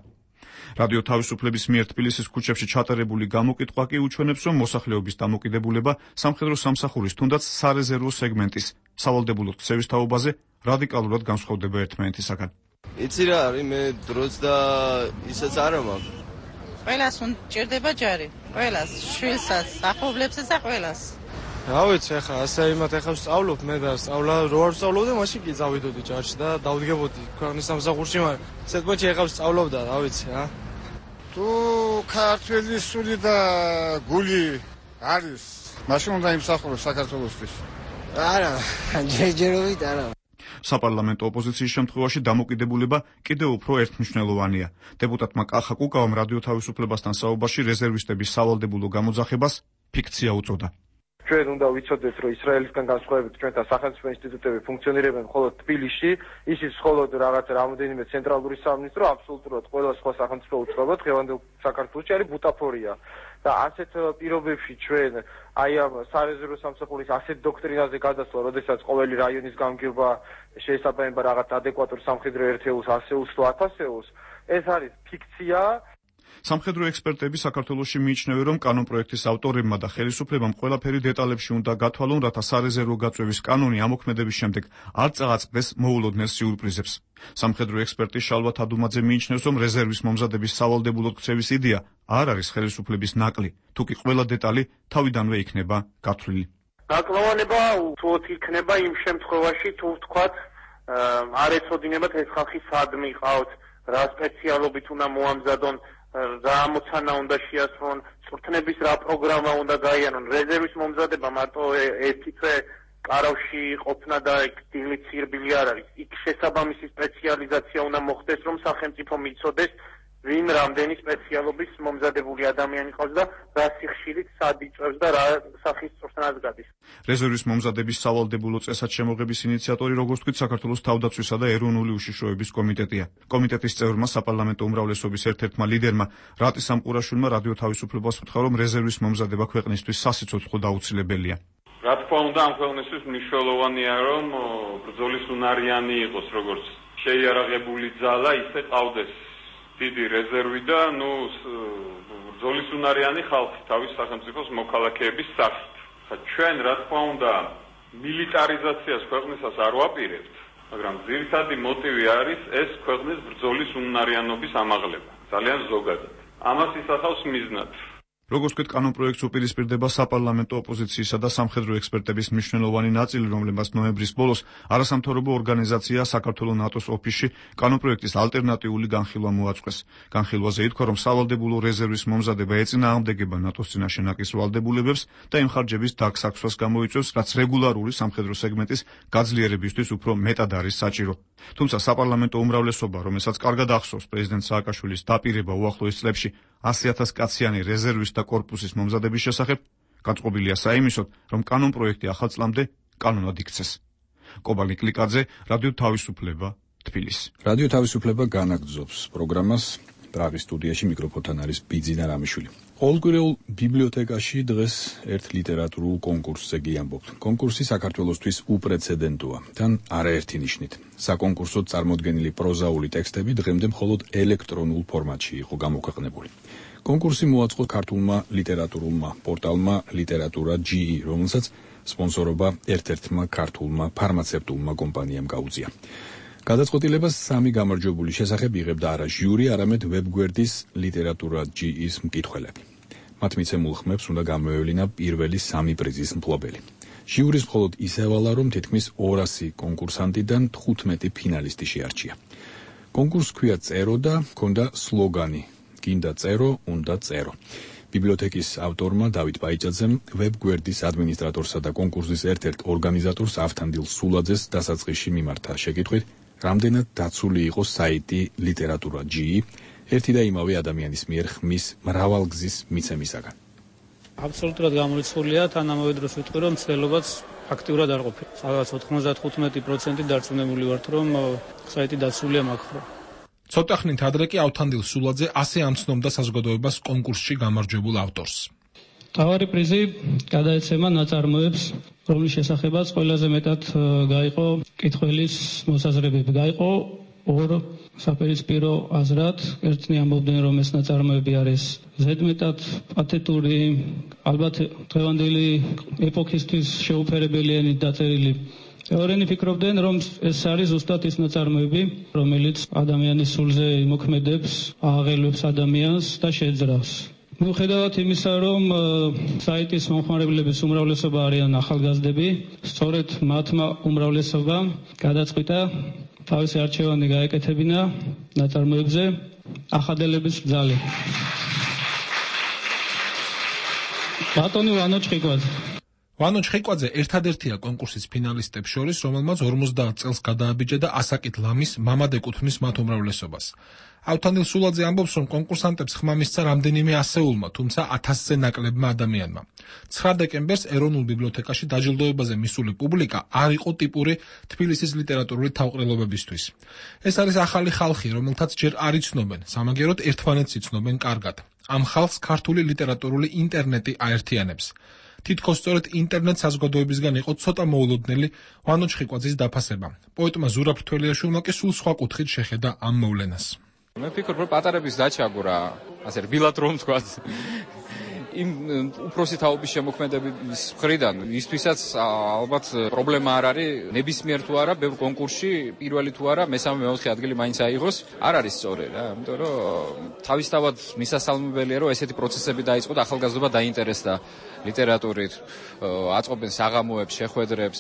რადიო თავისუფლების მიერ თბილისის ქუჩებში ჩატარებული გამოკითხვა კი უჩვენებს, რომ მოსახლეობის დამოკიდებულება სამხედრო სამსახურის თუნდაც სარეზერვო სეგმენტის სავალდებულო ქცევის თაობაზე რადიკალურად განსხვავდება ერთმანეთისაგან. იცი რა არის, მე დროც და ისაც არა მაქვს. ყველას უნჭირდება ჯარი, ყველას, შვილსაც, ახლობლებსაც და ყველას. რა ვიცი, ახლა ასე იმათ ახლა ვსწავლობ მე და სწავლა რო არ ვსწავლობდი, მაშინ კი წავიდოდი ჯარში და დავდგებოდი ქვეყნის სამსახურში, მაგრამ სეტყვეთში ახლა ვსწავლობ და რა ვიცი რა. თუ ქართველის სული და გული არის, მაშინ უნდა იმსახუროს საქართველოსთვის. არა, ჯერჯერობით არა. საპარლამენტო ოპოზიციის შემთხვევაში დამოკიდებულება კიდევ უფრო ერთმნიშვნელოვანია. დეპუტატმა კახა კუკავამ რადიო თავისუფლებასთან საუბარში რეზერვისტების სავალდებულო გამოძახებას ფიქცია უწოდა. ჩვენ უნდა ვიცოდეთ, რომ ისრაელისგან განსხვავებით ჩვენთან სახელმწიფო ინსტიტუტები ფუნქციონირებენ მხოლოდ თბილისში, ისიც მხოლოდ რაღაც რამოდენიმე ცენტრალური სამინისტრო, აბსოლუტურად ყველა სხვა სახელმწიფო უწყება დღევანდელ საქართველოში არის ბუტაფორია. და ასეთ პირობებში ჩვენ აი ამ სარეზერვო სამსახურის ასეთ დოქტრინაზე გადასვლა, როდესაც ყოველი რაიონის გამგება შეესაბამება რაღაც ადეკვატურ სამხედრო ერთეულს, ასეულს თუ ათასეულს, ეს არის ფიქცია. სამხედრო ექსპერტები საქართველოში მიიჩნევენ, რომ კანონპროექტის ავტორებმა და ხელისუფლებამ ყველაფერი დეტალებში უნდა გათვალონ, რათა სარეზერვო გაწვევის კანონი ამოქმედების შემდეგ არ წააწყდეს მოულოდნელ სიურპრიზებს. სამხედრო ექსპერტი შალვა თადუმაძე მიიჩნევს, რომ რეზერვის მომზადების სავალდებულოდ ქცევის იდეა არ არის ხელისუფლების ნაკლი, თუკი ყველა დეტალი თავიდანვე იქნება გათვლილი. ნაკლოვანება უთუოდ იქნება იმ შემთხვევაში, თუ ვთქვათ, არ ეცოდინებათ ეს ხალხი სად მიყავთ, რა სპეციალობით უნდა მოამზადონ, რა ამოცანა უნდა შეასრულონ, წვრთნების რა პროგრამა უნდა გაიარონ. რეზერვის მომზადება მარტო ერთი წე კარავში ყოფნა და დილით სირბილი არ არის. იქ შესაბამისი სპეციალიზაცია უნდა მოხდეს, რომ სახელმწიფო მიცოდეს, ვინ რამდენი სპეციალობის მომზადებული ადამიანი ყავს და რა სიხშირით სად იწევს და რა სახის წვრთნას გადის. რეზერვის მომზადების სავალდებულო წესად შემოღების ინიციატორი, როგორც თქვით, საქართველოს თავდაცვისა და ეროვნული უშიშროების კომიტეტია. კომიტეტის წევრმა, საპარლამენტო უმრავლესობის ერთ-ერთმა ლიდერმა რატი სამყურაშვილმა რადიო თავისუფლებას უთხრა, რომ რეზერვის მომზადება ქვეყნისთვის სასიცოცხლო და აუცილებელია. რა თქმა უნდა, ამ ქვეყნისთვის მნიშვნელოვანია, რომ ბრძოლის უნარიანი იყოს, როგორც შეიარაღებული ძალა, ისე ყავდეს დიდი რეზერვი და ნუ ბრძოლის უნარიანი ხალხი თავის სახელმწიფოს მოქალაქეების სახით. ჩვენ რა თქმა უნდა მილიტარიზაციას ქვეყნისას არ ვაპირებთ, მაგრამ ძირითადი მოტივი არის ეს ქვეყნის ბრძოლის უნარიანობის ამაღლება, ძალიან ზოგადად. ამას ისახავს მიზნად. როგორც თქვით, კანონპროექტს უპირისპირდება საპარლამენტო ოპოზიციისა და სამხედრო ექსპერტების მნიშვნელოვანი ნაწილი, რომლებმაც ნოემბრის ბოლოს არასამთავრობო ორგანიზაცია საქართველოს ნატოს ოფისში კანონპროექტის ალტერნატიული განხილვა მოაწყვეს. განხილვაზე ითქვა, რომ სავალდებულო რეზერვის მომზადება ეწინააღმდეგება ნატოს წინაშე ნაკის ვალდებულებებს და იმ ხარჯების დაგსაქვსვას გამოიწვევს, რაც რეგულარული სამხედრო სეგმენტის გაძლიერებისთვის უფრო მეტად არის საჭირო. თუმცა საპარლამენტო უმრავლესობა, რომელსაც კარგად ახსოვს პრეზიდენტ სააკაშვილის დაპირება უახლოეს წლებში ასი ათას კაციანი რეზერვის და კორპუსის მომზადების შესახებ, გაწყობილია საიმისოდ, რომ კანონპროექტი ახალ წლამდე კანონად იქცეს. კობალი კლიკაძე, რადიო თავისუფლება, თბილისი. რადიო თავისუფლება განაგრძობს პროგრამას. პრაღის სტუდიაში მიკროფონთან არის ბიძინა რამიშვილი. ყოველკვირეულ ბიბლიოთეკაში დღეს ერთ ლიტერატურულ კონკურსზე გიამბობთ. კონკურსი საქართველოსთვის უპრეცედენტოა, თან არაერთი ნიშნით. საკონკურსოდ წარმოდგენილი პროზაული ტექსტები დღემდე მხოლოდ ელექტრონულ ფორმატში იყო გამოქვეყნებული. კონკურსი მოაწყო ქართულმა ლიტერატურულმა პორტალმა ლიტერატურა ჯი ი, რომელსაც სპონსორობა ერთ-ერთმა ქართულმა ფარმაცევტულმა კომპანიამ გაუწია. გადაწყვეტილებას სამი გამარჯვებული შესახებ იღებდა არა ჟიური, არამედ ვებგვერდის ლიტერატურა ჯი ის მკითხველები. მათ მიცემულ ხმებს უნდა გამოევლინა პირველი სამი პრიზის მფლობელი. ჟიურის მხოლოდ ისევალა, რომ თითქმის ორასი კონკურსანტიდან თხუთმეტი ფინალისტი შეარჩია. კონკურსს ქვია წერო და ჰქონდა სლოგანი: გინდა წერო, უნდა წერო. ბიბლიოთეკის ავტორმა დავით ბაიჭაძემ ვებგვერდის ადმინისტრატორსა და კონკურსის ერთ-ერთ ორგანიზატორს ავთანდილ სულაძეს დასაწყისში მიმართა შეკითხვით, რამდენად დაცული იყო საიტი ლიტერატურა ჯი ი ერთი და იმავე ადამიანის მიერ ხმის მრავალგზის მიცემისაგან. აბსოლუტურად გამორიცხულია, თან ამავე დროს ვიტყვი, რომ მცდელობაც აქტიურად არ ყოფილა. სადღაც ოთხმოცდათხუთმეტი პროცენტი დარწმუნებული ვართ, რომ საიტი დაცულია მაგ ხრო. ცოტა ხნით ადრე კი ავთანდილ სულაძე ასე ამცნობდა საზოგადოებას კონკურსში გამარჯვებულ ავტორს. თავარი პრიზი გადაეცემა ნაწარმოებს, რომლის შესახებაც ყველაზე მეტად გაიყო კითხველის მოსაზრებები. გაიყო ორ საპირისპირო აზრად, ერთნი ამბობდნენ, რომ ეს ნაწარმოები არის ზედმეტად პათეტური, ალბათ დღევანდელი ეპოქისთვის შეუფერებელი ენით დაწერილი. ორენი ფიქრობდნენ, რომ ეს არის ზუსტად ის ნაწარმოები, რომელიც ადამიანის სულზე იმოქმედებს, ააღელვებს ადამიანს და შეძრავს. მიუხედავად იმისა, რომ საიტის მომხმარებლების უმრავლესობა არიან ახალგაზრდები, სწორედ მათმა უმრავლესობამ გადაწყვიტა თავისი არჩევანი გაეკეთებინა ნაწარმოებზე, ახადელების ბრძალი. ბატონი ვანო ჩხიკვაძე. ვანო ჩხიკვაძე ერთადერთია კონკურსის ფინალისტებს შორის, რომელმაც ორმოცდაათ წელს გადააბიჯა და ასაკით ლამის მამად ეკუთვნის მათ უმრავლესობას. ავთანდილ სულაძე ამბობს, რომ კონკურსანტებს ხმა მისცა რამდენიმე ასეულმა, თუმცა ათასზე ნაკლებმა ადამიანმა. ცხრა დეკემბერს ეროვნულ ბიბლიოთეკაში დაჯილდოებაზე მისული პუბლიკა არ იყო ტიპური თბილისის ლიტერატურული თავყრილობებისთვის. ეს არის ახალი ხალხი, რომელთაც ჯერ არ იცნობენ, სამაგეროდ ერთმანეთს იცნობენ კარგად. ამ ხალხს ქართული ლიტერატურული ინტერნეტი აერთიანებს. თითქოს სწორედ ინტერნეტ საზოგადოებისგან იყო ცოტა მოულოდნელი ვანო ჩხიკვაძის დაფასება. პოეტმა ზურაბ თველიაშვილმა კი სულ სხვა კუთხით შეხედა ამ მოვლენას. მე ვფიქრობ, რომ პატარების დაჩაგვრა, ასე რბილად რომ თქვა, იმ უფროსი თაობის შემოქმედების მხრიდან ისთვისაც ალბათ პრობლემა არ არის ნებისმიერ თუ არა ბევრ კონკურსში პირველი თუ არა მესამე მეოთხე ადგილი მაინც აიღოს, არ არის სწორი რა, იმიტომ რომ თავისთავად მისასალმებელია რომ ესეთი პროცესები დაიწყო და ახალგაზრდობა დაინტერესდა ლიტერატურით, აწყობენ საღამოებს, შეხვედრებს.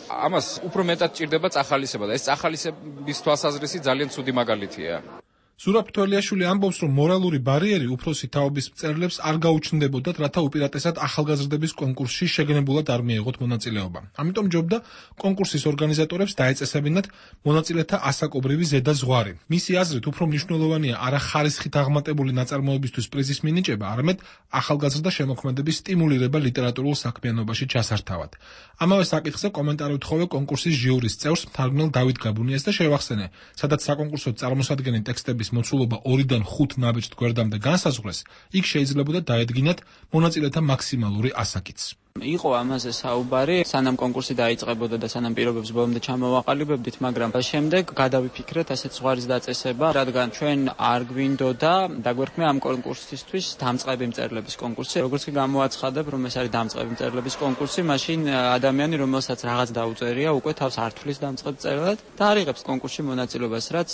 ამას უფრო მეტად ჭირდება წახალისება და ეს წახალისების თვალსაზრისით ძალიან ცუდი მაგალითია. ზურაბ თველიაშვილი ამბობს, რომ მორალური ბარიერი უფროსი თაობის მწერლებს არ გაუჩნდებოდათ, რათა უპირატესად ახალგაზრდების კონკურსში შეგნებულად არ მიეღოთ მონაწილეობა. ამიტომ ჯობდა კონკურსის ორგანიზატორებს დაეწესებინათ მონაწილეთა ასაკობრივი ზედა ზღვარი. მისი აზრით, უფრო მნიშვნელოვანია არა ხარისხით აღმატებული ნაწარმოებისთვის პრიზის მინიჭება, არამედ ახალგაზრდა შემოქმედების სტიმულირება ლიტერატურულ საქმიანობაში ჩასართავად. ამავე საკითხზე კომენტარი უთხოვე კონკურსის ჟიურის წევრს მთარგმნელ დავით გაბუნიას და შევახსენე, სადაც საკონკურსო წარმოსადგენელი ტექსტების მოცულობა ორიდან ხუთ ნაბეჭდ გვერდამდე განსაზღვრეს, იქ შეიძლებოდა დაედგინათ მონაწილეთა მაქსიმალური ასაკიც. იყო ამაზე საუბარი, სანამ კონკურსი დაიწყებოდა და სანამ პირობებს ბოლომდე ჩამოვაყალიბებდით, მაგრამ შემდეგ გადავიფიქრეთ ასეთ ზღვარის დაწესება, რადგან ჩვენ არ გვინდოდა დაგვერქმე ამ კონკურსისთვის დამწყები მწერლების კონკურსი. როგორც კი გამოაცხადებ, რომ ეს არის დამწყები მწერლების კონკურსი, მაშინ ადამიანი, რომელსაც რაღაც დაუწერია, უკვე თავს არ თვლის დამწყებ მწერლად და არ იღებს კონკურსში მონაწილეობას, რაც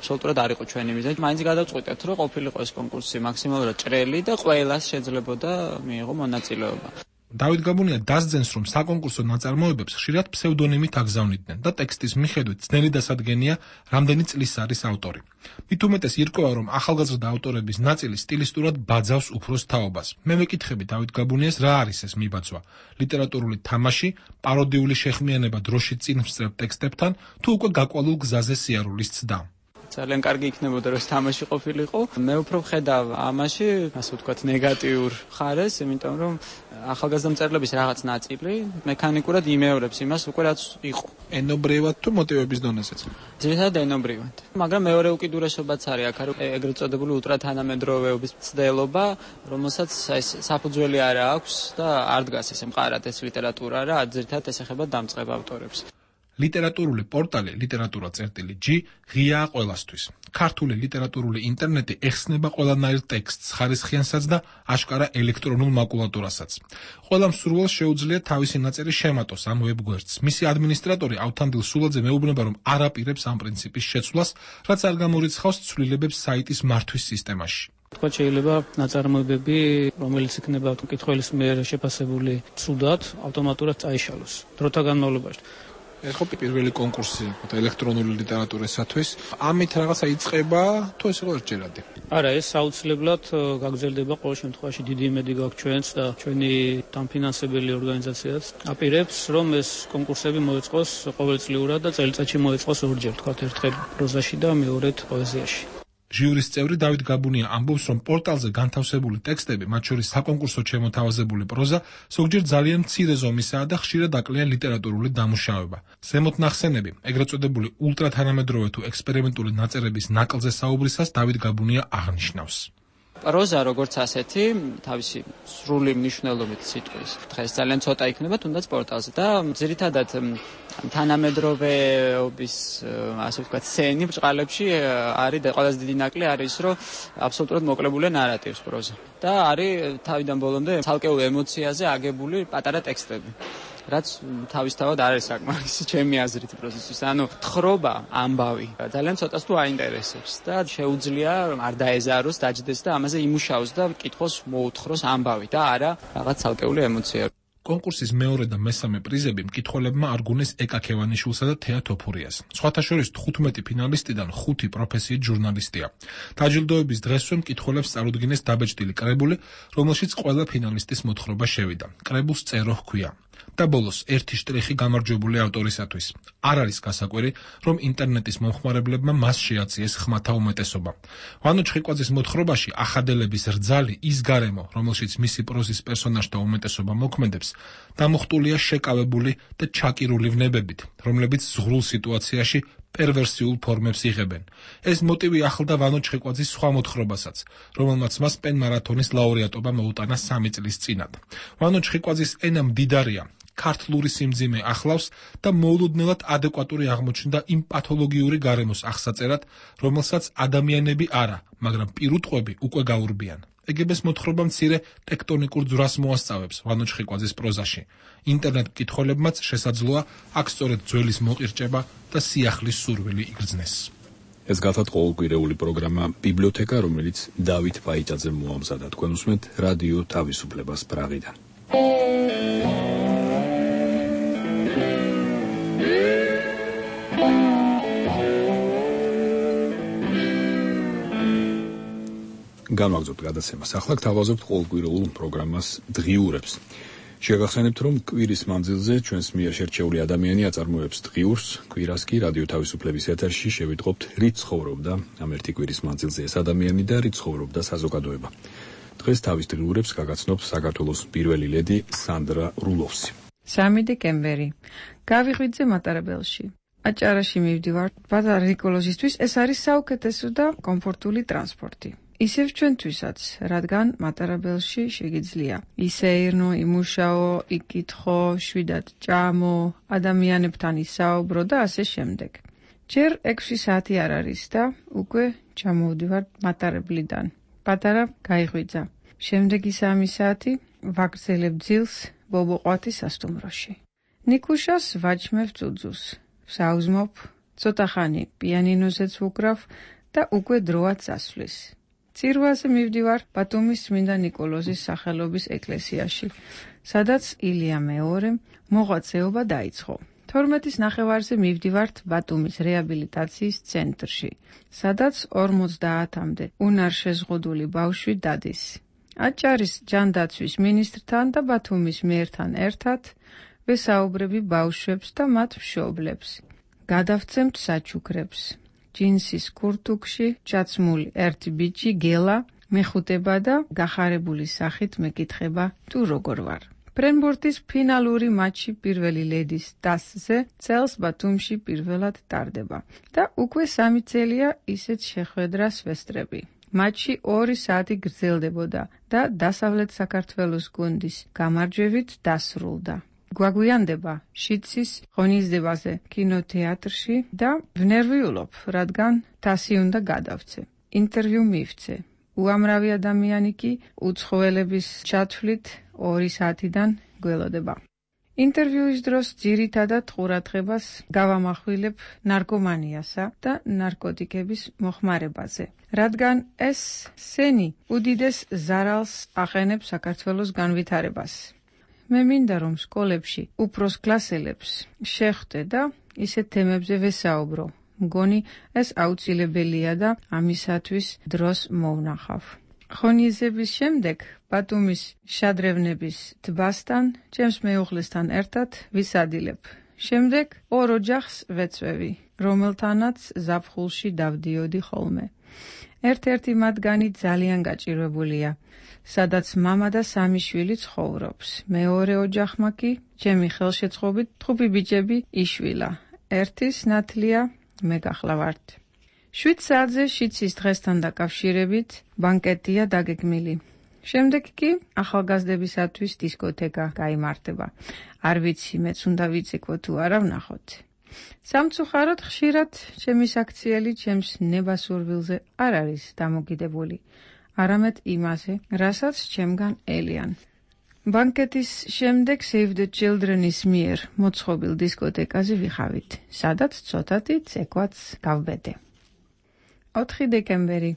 აბსოლუტურად არ იყო ჩვენი მიზანი. მაინც გადავწყვიტეთ, რომ ყოფილიყო ეს კონკურსი მაქსიმალურად ჭრელი და ყველას შეძლებოდა მიიღო მონაწილეობა. დავით გაბუნია დასძენს, რომ საკონკურსო ნაწარმოებებს ხშირად ფსევდონიმით აგზავნიდნენ და ტექსტის მიხედვით ძნელი დასადგენია, რამდენი წლის არის ავტორი. მით უმეტეს ირკვევა, რომ ახალგაზრდა ავტორების ნაწილი სტილისტურად ბაძავს უფროს თაობას. მე მეკითხები დავით გაბუნიას, რა არის ეს მიბაძვა? ლიტერატურული თამაში, პაროდიული შეხმიანება დროშით წინ მსწრებ ტექსტებთან, თუ უკვე გაკვალულ გზაზე სიარულის ცდა? ძალიან კარგი იქნებოდა, რომ ეს თამაში ყოფილიყო. მე უფრო ვხედავ ამაში, ასე ვთქვათ, ნეგატიურ ხარეს, იმიტომ რომ ახალგაზრდა მწერლების რაღაც ნაწილი მექანიკურად იმეორებს იმას, უკვე რაც იყო. ენობრივად თუ მოტივების დონეზეც? ძირითადად ენობრივად. მაგრამ მეორე უკიდურესობაც არის აქ, ეგრეთ წოდებული ულტრათანამედროვეობის მცდელობა, რომელსაც ეს საფუძველი არ აქვს და არ დგას ესე მყარად ეს ლიტერატურა რა, ძირითადად ესახება დამწყებ ავტორებს. ლიტერატურული პორტალი ლიტერატურა.წერტილი ჯი ღიაა ყველასთვის. ქართული ლიტერატურული ინტერნეტი ეხსნება ყველანაირ ტექსტს, ხარისხიანსაც და აშკარა ელექტრონულ მაკულატურასაც. ყველა მსურველს შეუძლია თავისი ნაწერი შემატოს ამ ვებგვერდს. მისი ადმინისტრატორი ავთანდილ სულაძე მეუბნება, რომ არ აპირებს ამ პრინციპის შეცვლას, რაც არ გამორიცხავს ცვლილებებს საიტის მართვის სისტემაში. თქვა შეიძლება ნაწარმოებები, რომელიც იქნება მკითხველის მიერ შეფასებული ცუდად, ავტომატურად წაიშალოს დროთა განმავლობაში. ეს ხო პირველი კონკურსი ელექტრონული ლიტერატურისათვის. ამით რაღაცა იწყება, თუ ეს იყო ერთჯერადი? არა, ეს აუცილებლად გაგრძელდება ყოველ შემთხვევაში დიდი იმედი გაქვს ჩვენს და ჩვენი დამფინანსებელი ორგანიზაციაც აპირებს, რომ ეს კონკურსები მოეწყოს ყოველწლიურად და წელიწადში მოეწყოს ორჯერ, თქვათ ერთხელ პროზაში და მეორედ პოეზიაში. ჟიურის წევრი დავით გაბუნია ამბობს, რომ პორტალზე განთავსებული ტექსტები, მათ შორის საკონკურსო შემოთავაზებული პროზა, ზოგჯერ ძალიან მცირე ზომისაა და ხშირად აკლია ლიტერატურული დამუშავება. ზემოთ ნახსენები, ეგრეთ წოდებული ულტრათანამედროვე თუ ექსპერიმენტული ნაწერების ნაკლზე საუბრისას დავით გაბუნია აღნიშნავს. პროზა როგორც ასეთი, თავისი სრული მნიშვნელობით სიტყვის, დღეს ძალიან ცოტა იქნება თუნდაც პორტალზე და ძირითადად თანამედროვეობის, ასე ვთქვათ, სცენი ბჭყალებში არის და ყველაზე დიდი ნაკლი არის, რომ აბსოლუტურად მოკლებულია ნარატივს პროზა და არის თავიდან ბოლომდე ცალკეულ ემოციაზე აგებული პატარა ტექსტები. რაც თავისთავად არ არის საკმარისი ჩემი აზრით პროცესის. ანუ თხრობა, ამბავი ძალიან ცოტას თუ აინტერესებს და შეუძლია არ დაეზაროს, დაჯდეს და ამაზე იმუშაოს და კითხოს მოუთხროს ამბავი და არა რაღაც ცალკეული ემოცია. კონკურსის მეორე და მესამე პრიზები მკითხველებმა არგუნეს ეკა ქევანიშვილსა და თეა თოფურიას. სხვათა შორის თხუთმეტი ფინალისტიდან ხუთი პროფესიით ჟურნალისტია. დაჯილდოების დღესვე მკითხველებს წარუდგინეს დაბეჭდილი კრებული, რომელშიც ყველა ფინალისტის მოთხრობა შევიდა. კრებულს წერო ჰქვია. და ბოლოს ერთი შტრიხი გამარჯვებული ავტორისათვის. არ არის გასაკვირი, რომ ინტერნეტის მომხმარებლებმა მას შეაწიეს ხმათა უმეტესობა. ვანო ჩხიკვაძის მოთხრობაში ახადელების რძალი ის გარემო, რომელშიც მისი პროზის პერსონაჟთა უმეტესობა მოქმედებს, დამუხტულია შეკავებული და ჩაკირული ვნებებით, რომლებიც ზღვრულ სიტუაციაში პერვერსიულ ფორმებს იღებენ. ეს მოტივი ახლდა ვანო ჩხიკვაძის სხვა მოთხრობასაც, რომელმაც მას პენ-მარათონის ლაურეატობა მოუტანა სამი წლის წინათ. ვანო ჩხიკვაძის ენა მდიდარია, ქართლური სიმძიმე ახლავს და მოულოდნელად ადეკვატური აღმოჩნდა იმ პათოლოგიური გარემოს აღსაწერად, რომელსაც ადამიანები არა, მაგრამ პირუტყვები უკვე გაურბიან. ეგებს მოთხრობა მცირე ტექტონიკურ ძვრას მოასწავებს ვანო ჩხიკვაძის პროზაში. ინტერნეტ მკითხველებმაც შესაძლოა აქ სწორედ ძველის მოყირჭება და სიახლის სურვილი იგრძნეს. ეს გახლავთ ყოველკვირეული პროგრამა ბიბლიოთეკა, რომელიც დავით პაიჭაძემ მოამზადა. თქვენ უსმენთ რადიო თავისუფლებას პრაღიდან. განვაგრძობთ გადაცემას. ახლა გთავაზობთ ყოველკვირეულ პროგრამას დღიურებს. შეგახსენებთ, რომ კვირის მანძილზე ჩვენს მიერ შერჩეული ადამიანი აწარმოებს დღიურს, კვირას კი რადიო თავისუფლების ეთერში შევიტყობთ რით ცხოვრობდა ამ ერთი კვირის მანძილზე ეს ადამიანი და რით ცხოვრობდა საზოგადოება. დღეს თავის დღიურებს გაგაცნობთ საქართველოს პირველი ლედი სანდრა რულოვსი. სამი დეკემბერი. გავიღვიძე მატარებელში. აჭარაში მივდივარ. პატარა ნიკოლოზისთვის ეს არის საუკეთესო და კომფორტული ტრანსპორტი. ისევ ჩვენთვისაც, რადგან მატარებელში შეგიძლია ისეირნო, იმუშაო, იკითხო, შვიდად ჭამო, ადამიანებთან ისაუბრო და ასე შემდეგ. ჯერ ექვსი საათი არ არის და უკვე ჩამოვდივარ მატარებლიდან. პატარა გაიღვიძა. შემდეგი სამი საათი ვაგრძელებ ძილს ბობოყვათის სასტუმროში. ნიკუშას ვაჭმევ ძუძუს. საუზმობ, ცოტა ხანი პიანინოზეც ვუკრავ და უკვე დროაც ასვლის. წირვაზე მივდივარ ბათუმის წმინდა ნიკოლოზის სახელობის ეკლესიაში, სადაც ილია მეორემ მოღვაწეობა დაიწყო. თორმეტის ნახევარზე მივდივართ ბათუმის რეაბილიტაციის ცენტრში, სადაც ორმოცდაათამდე უნარშეზღუდული ბავშვი დადის. აჭარის ჯანდაცვის მინისტრთან და ბათუმის მერთან ერთად ვესაუბრები ბავშვებს და მათ მშობლებს. გადავცემთ საჩუქრებს. ჯინსის კურთუკში ჩაცმული ერთი ბიჭი გელა მეხუტება და გახარებული სახით მეკითხება თუ როგორ ვარ. ფრენბურთის ფინალური მატჩი პირველი ლედის დასზე წელს ბათუმში პირველად ტარდება და უკვე სამი წელია ისეთ შეხვედრას ვესწრები. მატჩი ორი საათი გრძელდებოდა და დასავლეთ საქართველოს გუნდის გამარჯვებით დასრულდა. გვაგვიანდება შიცის ღონისძიებაზე კინოთეატრში და ვნერვიულობ, რადგან თასი უნდა გადავცე. ინტერვიუ მივცე. უამრავი ადამიანი კი უცხოელების ჩათვლით ორი საათიდან გველოდება. ინტერვიუის დროს ძირითადად ყურადღებას გავამახვილებ ნარკომანიასა და ნარკოტიკების მოხმარებაზე, რადგან ეს სენი უდიდეს ზარალს აყენებს საქართველოს განვითარებას. მე მინდა რომ სკოლებში უფროს კლასელებს შეხვდე და ისეთ თემებზე ვესაუბრო. მგონი ეს აუცილებელია და ამისათვის დროს მოვნახავ. ღონისძიების შემდეგ ბათუმის შადრევნების ტბასთან ჩემს მეუღლესთან ერთად ვისადილებ. შემდეგ ორ ოჯახს ვეწვევი, რომელთანაც ზაფხულში დავდიოდი ხოლმე. ერთ-ერთი მათგანი ძალიან გაჭირვებულია, სადაც მამა და სამი შვილი ცხოვრობს. მეორე ოჯახმა კი ჩემი ხელშეწყობით თხუთი ბიჭები იშვილა. ერთის ნათლია მე გახლავართ. შვიდ საათზე შიცის დღესთან დაკავშირებით ბანკეტია დაგეგმილი. შემდეგ კი ახალგაზრდებისათვის დისკოთეკა გაიმართება. არ ვიცი, მეც უნდა ვიწიკვო თუ არა ვნახოთ. სამწუხაროდ ხშირად ჩემი საქციელი ჩემს ნებასურვილზე არ არის დამოკიდებული, არამედ იმაზე, რასაც ჩემგან ელიან. ბანკეტის შემდეგ Save the Children-ის მიერ მოწყობილ დისკოტეკაზე ვიხავით, სადაც ცოტათი ცეკვაც გავბედე. ოთხი დეკემბერი.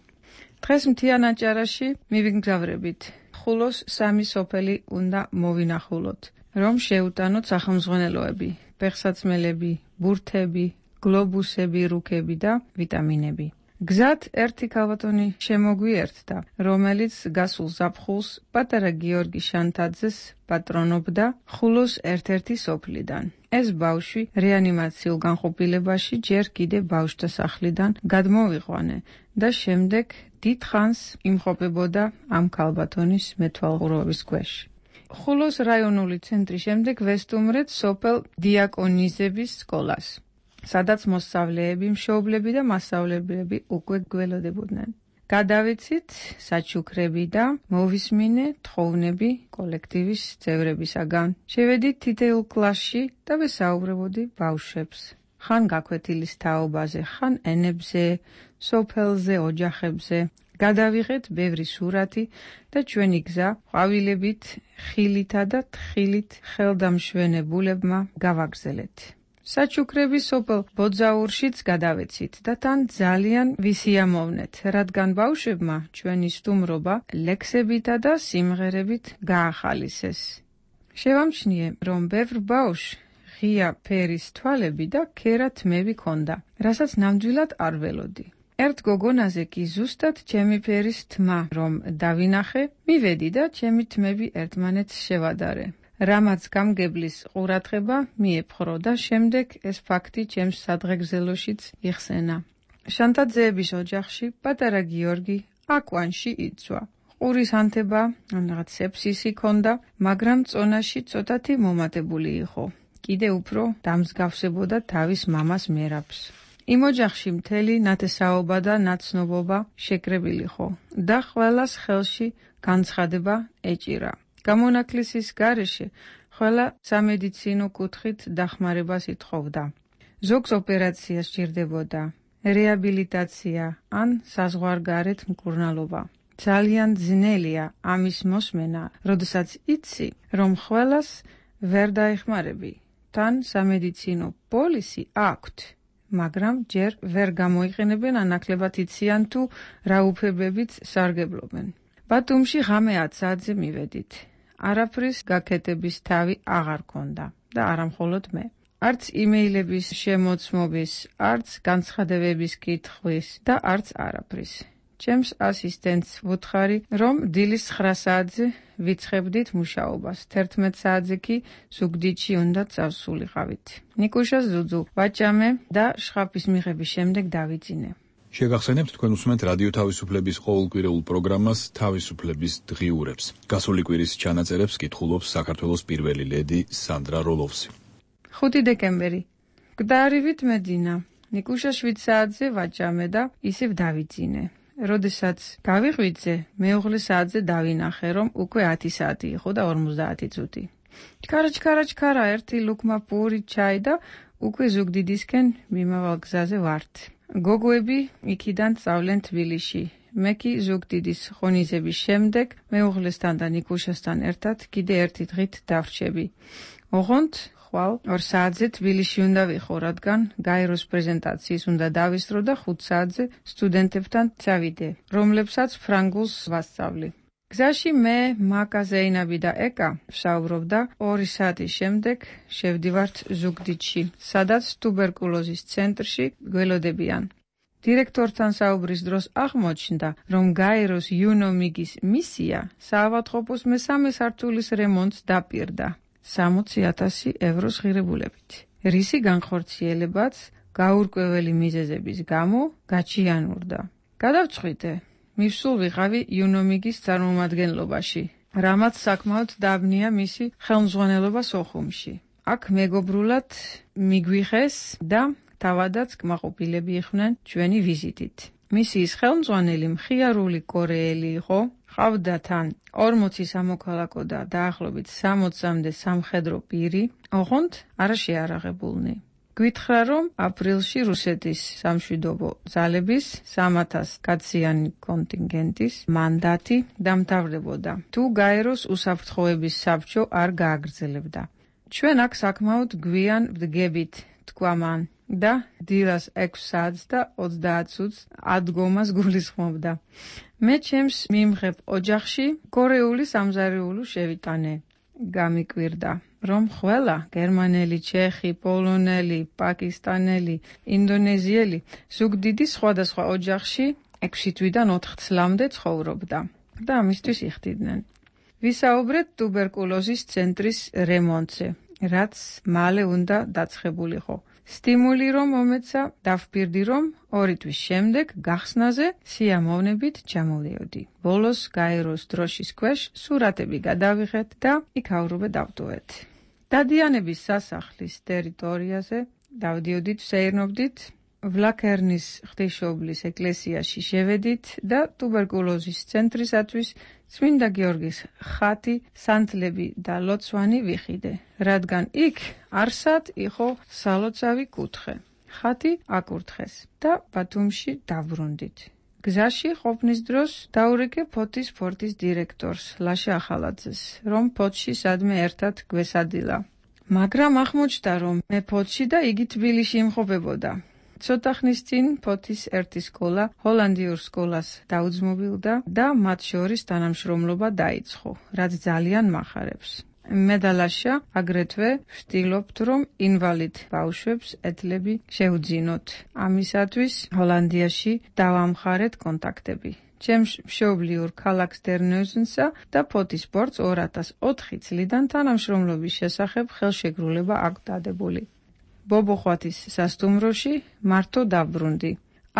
დღეს მთიან აჭარაში მივიგზავრებით. ხულოს სამი სოფელი უნდა მოვინახულოთ რომ შეუტანოთ სახელმძღვანელოები, ფეხსაცმელები, ბურთები, გლობუსები, რუქები და ვიტამინები. გზად ერთი ქალბატონი შემოგვიერთდა, რომელიც გასულ ზაფხულს პატარა გიორგი შანთაძეს პატრონობდა ხულოს ერთ-ერთი სოფლიდან. ეს ბავშვი რეანიმაციულ განყოფილებაში ჯერ კიდე ბავშვთა სახლიდან გადმოვიყვანე და შემდეგ დიდხანს იმყოფებოდა ამ ქალბატონის მეთვალყურეობის ქვეშ. ხულოს რაიონული ცენტრის შემდეგ ვესტუმრეთ სოფელ დიაკონიზების სკოლას, სადაც მოსწავლეები, მშობლები და მასწავლებლები უკვე გველოდებოდნენ. გადავიცით საჩუქრები და მოვისმინე თხოვნები კოლექტივის წევრებისაგან. შევედით თითოეულ კლასში და ვესაუბრებოდი ბავშვებს. ხან გაკვეთილის თაობაზე, ხან ენებზე, სოფელზე, ოჯახებზე. გადავიღეთ ბევრი სურათი და ჩვენი გზა ყვავილებით, ხილითა და თხილით ხელდამშვენებულებმა გავაგრძელეთ. საჩუქრების სოფელ ბოძაურშიც გადავეცით და თან ძალიან ვისიამოვნეთ, რადგან ბავშვებმა ჩვენი სტუმრობა ლექსებითა და სიმღერებით გაახალისეს. შევამჩნიე, რომ ბევრ ბავშვს ღია ფერის თვალები და ქერა თმები ჰქონდა, რასაც ნამდვილად არ ველოდი. ერთ გოგონაზე კი ზუსტად ჩემი ფერის თმა რომ დავინახე, მივედი და ჩემი თმები ერთმანეთს შევადარე. რამაც გამგებლის ყურადღება მიეპყრო და შემდეგ ეს ფაქტი ჩემს სადღეგრძელოშიც იხსენა. შანთაძეების ოჯახში პატარა გიორგი აკვანში იცვა. ყურის ანთება, რაღაც სეფსისი ჰქონდა, მაგრამ წონაში ცოტათი მომატებული იყო. კიდე უფრო დამსგავსებოდა თავის მამას მერაბს. იმ ოჯახში მთელი ნათესაობა და ნაცნობობა შეკრებილი იყო და ყველას ხელში განცხადება ეჭირა. გამონაკლისის გარეშე ყველა სამედიცინო კუთხით დახმარებას ითხოვდა. ზოგს ოპერაცია სჭირდებოდა, რეაბილიტაცია ან საზღვარგარეთ მკურნალობა. ძალიან ძნელია ამის მოსმენა, როდესაც იცი, რომ ყველას ვერ დაეხმარები. თან სამედიცინო პოლისი აქვთ, მაგრამ ჯერ ვერ გამოიყენებენ ან ნაკლებად იციან თუ რა უფლებებით სარგებლობენ. ბათუმში ღამე ათ საათზე მივედით. არაფრის გაკეთების თავი აღარ ქონდა და არა მხოლოდ მე. არც იმეილების შემოწმობის, არც განცხადებების კითხვის და არც არაფრის. ჩემს ასისტენტს ვუთხარი, რომ დილის ცხრა საათზე ვიწყებდით მუშაობას, თერთმეტ საათზე კი ზუგდიდში უნდა წავსულიყავით. ნიკუშას ზუძუ ვაჭამე და შხაფის მიღების შემდეგ დავიძინე. შეგახსენებთ, თქვენ უსმენთ რადიო თავისუფლების ყოველკვირეულ პროგრამას თავისუფლების დღიურებს. გასული კვირის ჩანაწერებს კითხულობს საქართველოს პირველი ლედი სანდრა როლოვსი. ხუთი დეკემბერი. გდარივით მედინა. ნიკუშა შვიდ საათზე ვაჭამე და ისევ დავიძინე. როდესაც გავიღვიძე, მეუღლე საათზე დავინახე, რომ უკვე ათი საათი იყო და ორმოცდაათი წუთი. ჩქარა, ჩქარა, ჩქარა, ერთი ლუქმა პური ჩაი და უკვე ზუგდიდისკენ მიმავალ გზაზე ვართ. გოგოები იქიდან სწავლენ თბილისში. მე კი ზუგდიდის ღონისძიების შემდეგ მეუღლესთან და ნიკუშასთან ერთად კიდე ერთი დღით დავრჩები. ოღონდ ხვალ ორ საათზე თბილისში უნდა ვიყო, რადგან გაეროს პრეზენტაციის უნდა დავისწრო და ხუთ საათზე სტუდენტებთან წავიდე, რომლებსაც ფრანგულს ვასწავლი. გზაში მე, მაკა, ზეინაბი და ეკა ვსაუბრობდა ორი საათის შემდეგ შევდივართ ზუგდიდში, სადაც ტუბერკულოზის ცენტრში გველოდებიან. დირექტორთან საუბრის დროს აღმოჩნდა, რომ გაეროს იუნომიგის მისია საავადმყოფოს მესამე სართულის რემონტს დაპირდა სამოცი ათასი ევროს ღირებულებით. რისი განხორციელებაც გაურკვეველი მიზეზების გამო გაჩიანურდა. გადავწყვიტე, მივსულ ვიყავი იუნომიგის წარმომადგენლობაში, რამაც საკმაოდ დაბნია მისი ხელმძღვანელობა სოხუმში. აქ მეგობრულად მიგვიხეს და თავადაც კმაყოფილები იყვნენ ჩვენი ვიზიტით. მისიის ხელმძღვანელი მხიარული კორეელი იყო, ყავდა თან ორმოცი სამოქალაქო და დაახლოებით სამოცამდე სამხედრო პირი, ოღონდ არა შეარაღებულნი. გვითხრა, რომ აპრილში რუსეთის სამშვიდობო ძალების სამათას კაციანი კონტინგენტის მანდატი დამთავრდებოდა, თუ გაეროს უსაფრთხოების საბჭო არ გააგრძელებდა. ჩვენ აქ საკმაოდ გვიან ვდგებით, თქვა მან. და დილას ექვს საათს და ოცდაათ წუთს ადგომას გულისხმობდა. მე ჩემს მიმღებ ოჯახში კორეული სამზარეულო შევიტანე. გამიკვირდა, რომ ყველა გერმანელი, ჩეხი, პოლონელი, პაკისტანელი, ინდონეზიელი ზუგდიდი სხვადასხვა ოჯახში ექვსი თვიდან ოთხ წლამდე ცხოვრობდა და ამისთვის იხდიდნენ. ვისაუბრეთ ტუბერკულოზის ცენტრის რემონტზე, რაც მალე უნდა დაწყებულიყო. სტიმული რომ მომეცა, დავფიქრდი რომ ორი თვის შემდეგ გახსნაზე სიამოვნებით ჩამოვდიოდი. ბოლოს გაეროს დროშის ქვეშ სურათები გადავიღეთ და იქ აურობე დავტოვეთ. დადიანების სასახლის ტერიტორიაზე დავდიოდით, ვსეირნობდით, ვლაკერნის ღვთისმშობლის ეკლესიაში შევედით და ტუბერკულოზის ცენტრისათვის წმინდა გიორგის ხატი, სანთლები და ლოცვანი ვიხიდე, რადგან იქ არსად იყო სალოცავი კუთხე. ხატი აკურთხეს და ბათუმში დავბრუნდით. გზაში ყოფნის დროს დაურეკე ფოთის ფორტის დირექტორს ლაშა ახალაძეს, რომ ფოთში სადმე ერთად გვესადილა. მაგრამ აღმოჩნდა, რომ მე ფოთში და იგი თბილისში იმყოფებოდა. ცოტა ხნის წინ ფოთის ერთი სკოლა ჰოლანდიურ სკოლას დაუძმობილდა და მათ შორის თანამშრომლობა დაიწყო, რაც ძალიან მახარებს. მე და ლაშა აგრეთვე ვცდილობთ, რომ ინვალიდ ბავშვებს ეთლები შევძინოთ. ამისათვის ჰოლანდიაში დავამხარეთ კონტაქტები. ჩემს მშობლიურ ქალაქ დერნეუზენსა და ფოთის სპორტს ორი ათას ოთხი წლიდან თანამშრომლობის შესახებ ხელშეკრულება აქვს დადებული. ბობოხვათის სასტუმროში მარტო დავბრუნდი.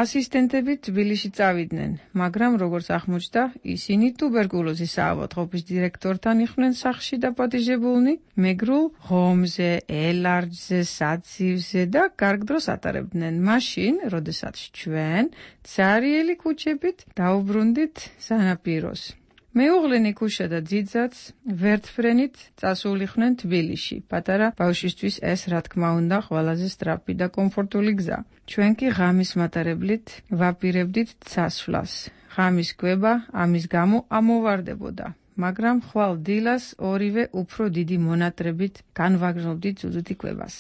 ასისტენტები თბილისში წავიდნენ, მაგრამ როგორც აღმოჩნდა, ისინი ტუბერკულოზის საავადმყოფოს დირექტორთან იყვნენ სახლში დაპატიჟებულნი, მეგრულ ღომზე, ელარჯზე, საცივზე და კარგ დროს ატარებდნენ. მაშინ, როდესაც ჩვენ ცარიელი ქუჩებით დაუბრუნდით სანაპიროს. მეუღლე ნიკუშა და ძიძაც ვერტფრენით წასულიყვნენ თბილისში. პატარა ბავშვისთვის ეს, რა თქმა უნდა, ყველაზე სწრაფი და კომფორტული გზა. ჩვენ კი ღამის მატარებლით ვაპირებდით წასვლას. ღამის კვება ამის გამო ამოვარდებოდა, მაგრამ ხვალ დილას ორივე უფრო დიდი მონატრებით განვაგრძობდით ზუზუთი კვებას.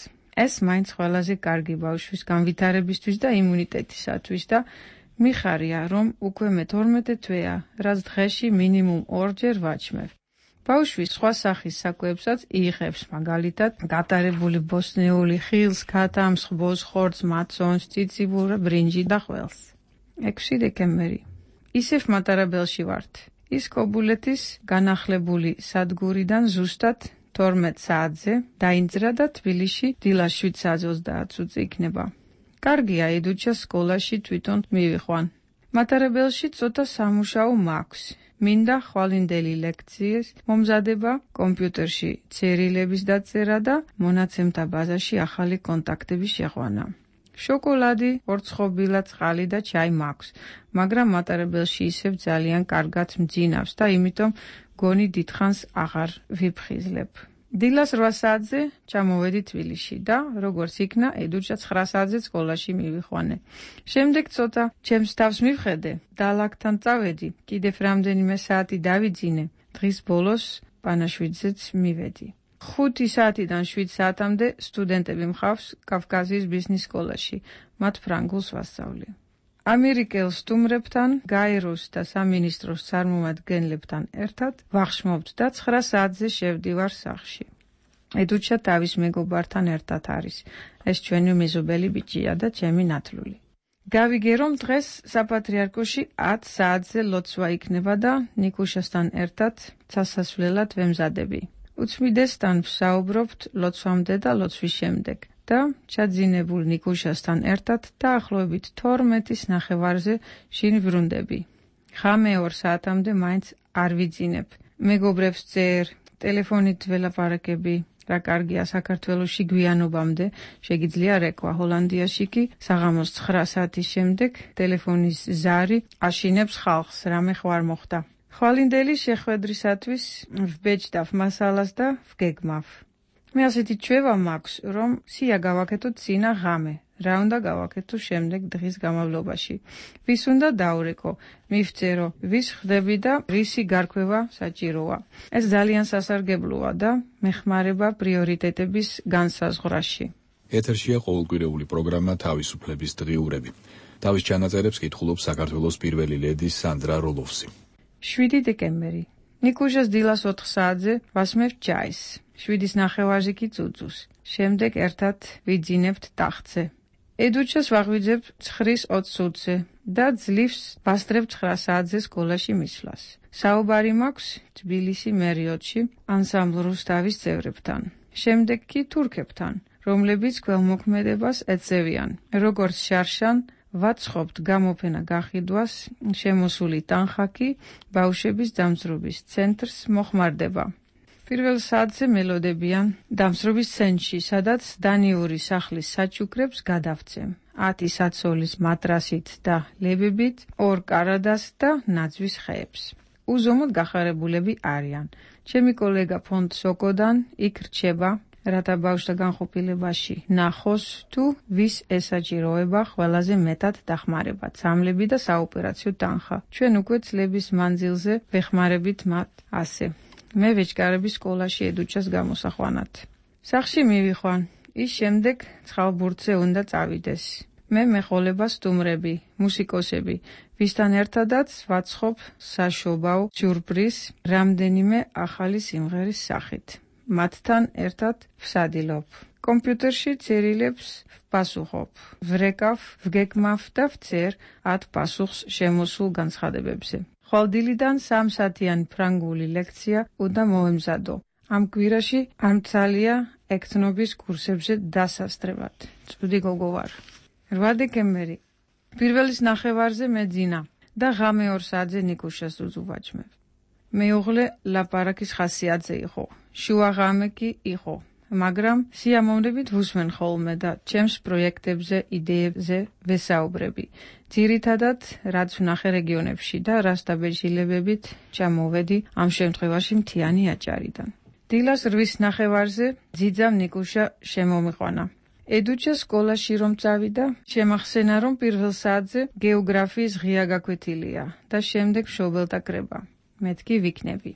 ეს მაინც ყველაზე კარგი ბავშვის განვითარებისთვის და იმუნიტეტისათვის და მიხარია, რომ უკვე მე თორმეტე თვეა, რაც დღეში მინიმუმ ორჯერ ვაჩმევ. ბავშვი სხვა სახის საკვებსაც იღებს, მაგალითად, გატარებული ბოსნეული ხილს, ქათამს, ხბოს, ხორცს, მაცონს, ციციბურა, ბრინჯი და ყველს. ექვსი დეკემბერი. ისევ მატარებელში ვართ. ის კობულეთის განახლებული სადგურიდან ზუსტად თორმეტ საათზე დაინძრა და თბილისში დილას შვიდ საათზე ოცდაათ წუთზე იქნება. კარგია, ედუჩას სკოლაში თვითონ მივიყვან. მატარებელში ცოტა სამუშაო მაქვს. მინდა ხვალინდელი ლექციის მომზადება, კომპიუტერში წერილების დაწერა და მონაცემთა ბაზაში ახალი კონტაქტების შეყვანა. შოკოლადი, ორცხობილა, წყალი და ჩაი მაქვს, მაგრამ მატარებელში ისევ ძალიან კარგად მძინავს და იმიტომ გონი დიდხანს აღარ ვიფხიზლებ. დილას რვა საათზე ჩამოვედი თბილისში და როგორც იქნა, ედუჩა ცხრა საათზე სკოლაში მივიყვანე. შემდეგ ცოტა ჩემს თავს მივხედე, დალაგთან წავედი, კიდევ რამდენიმე საათი დავიძინე. დღის ბოლოს პანაშვიდზეც მივედი. ხუთი საათიდან შვიდ საათამდე სტუდენტები მყავს კავკასიის ბიზნეს სკოლაში, მათ ფრანგულს ვასწავლი. ამერიკელ სტუმრებთან, გაეროს და სამინისტროს წარმომადგენლებთან ერთად ვახშმობთ და ცხრა საათზე შევდივარ სახლში. ედუჩა თავის მეგობართან ერთად არის. ეს ჩვენი მეზობელი ბიჭია და ჩემი ნათლული. გავიგე, რომ დღეს საპატრიარქოში ათ საათზე ლოცვა იქნება და ნიკუშასთან ერთად სასასვლელად ვემზადები. უცმიდესთან ვსაუბრობთ ლოცვამდე და ლოცვის შემდეგ და ჩაძინებულ ნიკუშასთან ერთად დაახლოებით თორმეტის ნახევარზე შინ ვრუნდები. ღამე ორ საათამდე მაინც არ ვიძინებ. მეგობრებს წერ, ტელეფონით ველაპარაკები, რა კარგია საქართველოში გვიანობამდე, შეგიძლია რეკვა. ჰოლანდიაში კი საღამოს ცხრა საათის შემდეგ ტელეფონის ზარი აშინებს ხალხს, რამე ხوار მოხდა. ხვალინდელი შეხვედრისათვის ვბეჭდავ მასალას და ვგეგმავ. მე ასეთი ჩვევა მაქვს, რომ სია გავაკეთოთ წინა ღამე, რა უნდა გავაკეთო შემდეგ დღის განმავლობაში. ვის უნდა დაურეკო, მივწერო, ვის ხდები და რისი გარკვევა საჭიროა. ეს ძალიან სასარგებლოა და მეხმარება პრიორიტეტების განსაზღვრაში. ეთერშია ყოველკვირეული პროგრამა თავისუფლების დღიურები. თავის ჩანაწერებს კითხულობს საქართველოს პირველი ლედი სანდრა როლოვსი. შვიდი დეკემბერი. ნიკუშას დილას ოთხ საათზე ვასმევთ ჩაის. შვიდის ნახევარზე კი წუწუს. შემდეგ ერთად ვიძინებთ ტახტზე. ედუჩას ვაღვიძებ ცხრის ოცს ოცზე და ძლივს ვასწრებ ცხრა საათზე სკოლაში მისვლას. საუბარი მაქვს თბილისი მერიოდში ანსამბლ რუსთავის წევრებთან. შემდეგ კი თურქებთან, რომლებიც ქველმოქმედებას ეწევიან. როგორც შარშან ვაცხობთ გამოფენა გაყიდვას, შემოსული ტანხა კი ბავშვების დამძრობის ცენტრს მოხმარდება. პირველ საათზე მელოდებიან დამსრობის ცენტრში, სადაც დანიური სახლის საჩუქრებს გადავცემ. ათი საცოლის მატრასით და ლებებით, ორ კარადას და ნაძვის ხეებს. უზომოდ გახარებულები არიან. ჩემი კოლეგა ფონდ სოკოდან იქ რჩება, რათა ბავშვთა განყოფილებაში ნახოს თუ ვის ესაჭიროება ყველაზე მეტად დახმარება, წამლები და საოპერაციო ტანხა. ჩვენ უკვე წლების მანძილზე ვეხმარებით მათ ასე. მე ვეჭკარები სკოლაში ედუჩას გამოსახვანად. სახლში მივიხვან, ის შემდეგ ცხალბურთზე უნდა წავიდეს. მე მეხოლება სტუმრები, მუსიკოსები, ვისთან ერთადაც ვაცხობ საშობაო სიურპრიზ რამდენიმე ახალი სიმღერის სახით. მათთან ერთად ვსადილობ. კომპიუტერში წერილებს ვპასუხობ. ვრეკავ, ვგეგმავ და ვწერ ათ პასუხს შემოსულ განცხადებებზე. ხვალდილიდან სამ საათიანი ფრანგული ლექცია უნდა მოვემზადო. ამ კვირაში ამცალია ექთნობის კურსებზე დასასწრებად. წვდი გოგო ვარ. რვა დეკემბერი. პირველის ნახევარზე მეძინა და ღამე ორ საათზე ნიკუშას უძუვაჭმევ. მეუღლე ლაპარაკის ხასიათზე იყო. შუა ღამე კი იყო. მაგრამ სიამოვნებით ვუსმენ ხოლმე და ჩემს პროექტებზე, იდეებზე ვესაუბრები. ძირითადად, რაც ვნახე რეგიონებში და რას დაბეჭდილებებით ჩამოვედი ამ შემთხვევაში მთიანი აჭარიდან. დილას რვის ნახევარზე ძიძამ ნიკუშა შემომიყვანა. ედუჩა სკოლაში რომ წავიდა, შემახსენა რომ პირველ საათზე გეოგრაფიის ღია გაკვეთილია და შემდეგ მშობელთა კრება. მეთქი ვიქნები.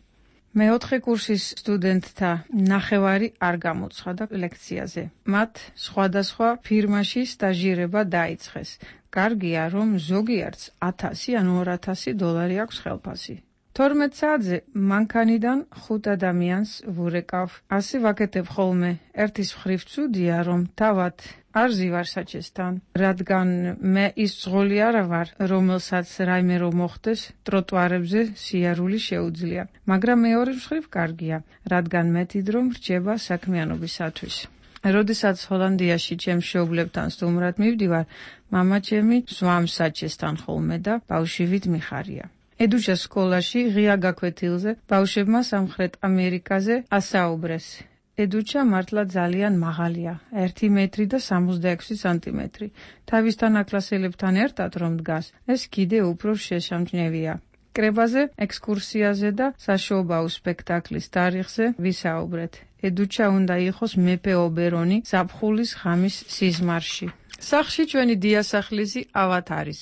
მეოთხე კურსის სტუდენტთა ნახევარი არ გამოცხადა ლექციაზე. მათ სხვადასხვა ფირმაში სტაჟირება დაიწყეს. კარგია, რომ ზოგიერთს ათასი ან ორ ათასი დოლარი აქვს ხელფასი. თორმეტ საათზე მანქანიდან ხუთ ადამიანს ვურეკავ. ასე ვაკეთებ ხოლმე. ერთის მხრივ ცუდია, რომ თავად არ ზივარ საჩესთან, რადგან მე ის ძღოლი არა ვარ, რომელსაც რაიმე რომ მოხდეს, ტროტუარებზე სიარული შეუძლია. მაგრამ მეორე მხრივ კარგია, რადგან მეტი დრო მრჩება საქმიანობისათვის. როდესაც ჰოლანდიაში ჩემს მშობლებთან სტუმრად მივდივარ, მამა ჩემი ზვამს საჩესთან ხოლმე და ბავშვივით მიხარია. ედუჩას სკოლაში ღია გაკვეთილზე ბავშვებმა სამხრეთ ამერიკაზე ასაუბრეს. ედუჩა მართლა ძალიან მაღალია, ერთი მეტრი და სამოცდაექვსი სანტიმეტრი. თავისთან აკლასელებთან ერთად რომ დგას, ეს კიდე უფრო შეშამჩნევია. კრებაზე, ექსკურსიაზე და საშობაო სპექტაკლის თარიღზე ვისაუბრეთ. ედუჩა უნდა იყოს მეფე ობერონი ზაფხულის ღამის სიზმარში. სახლში ჩვენი დიასახლისი ავად არის.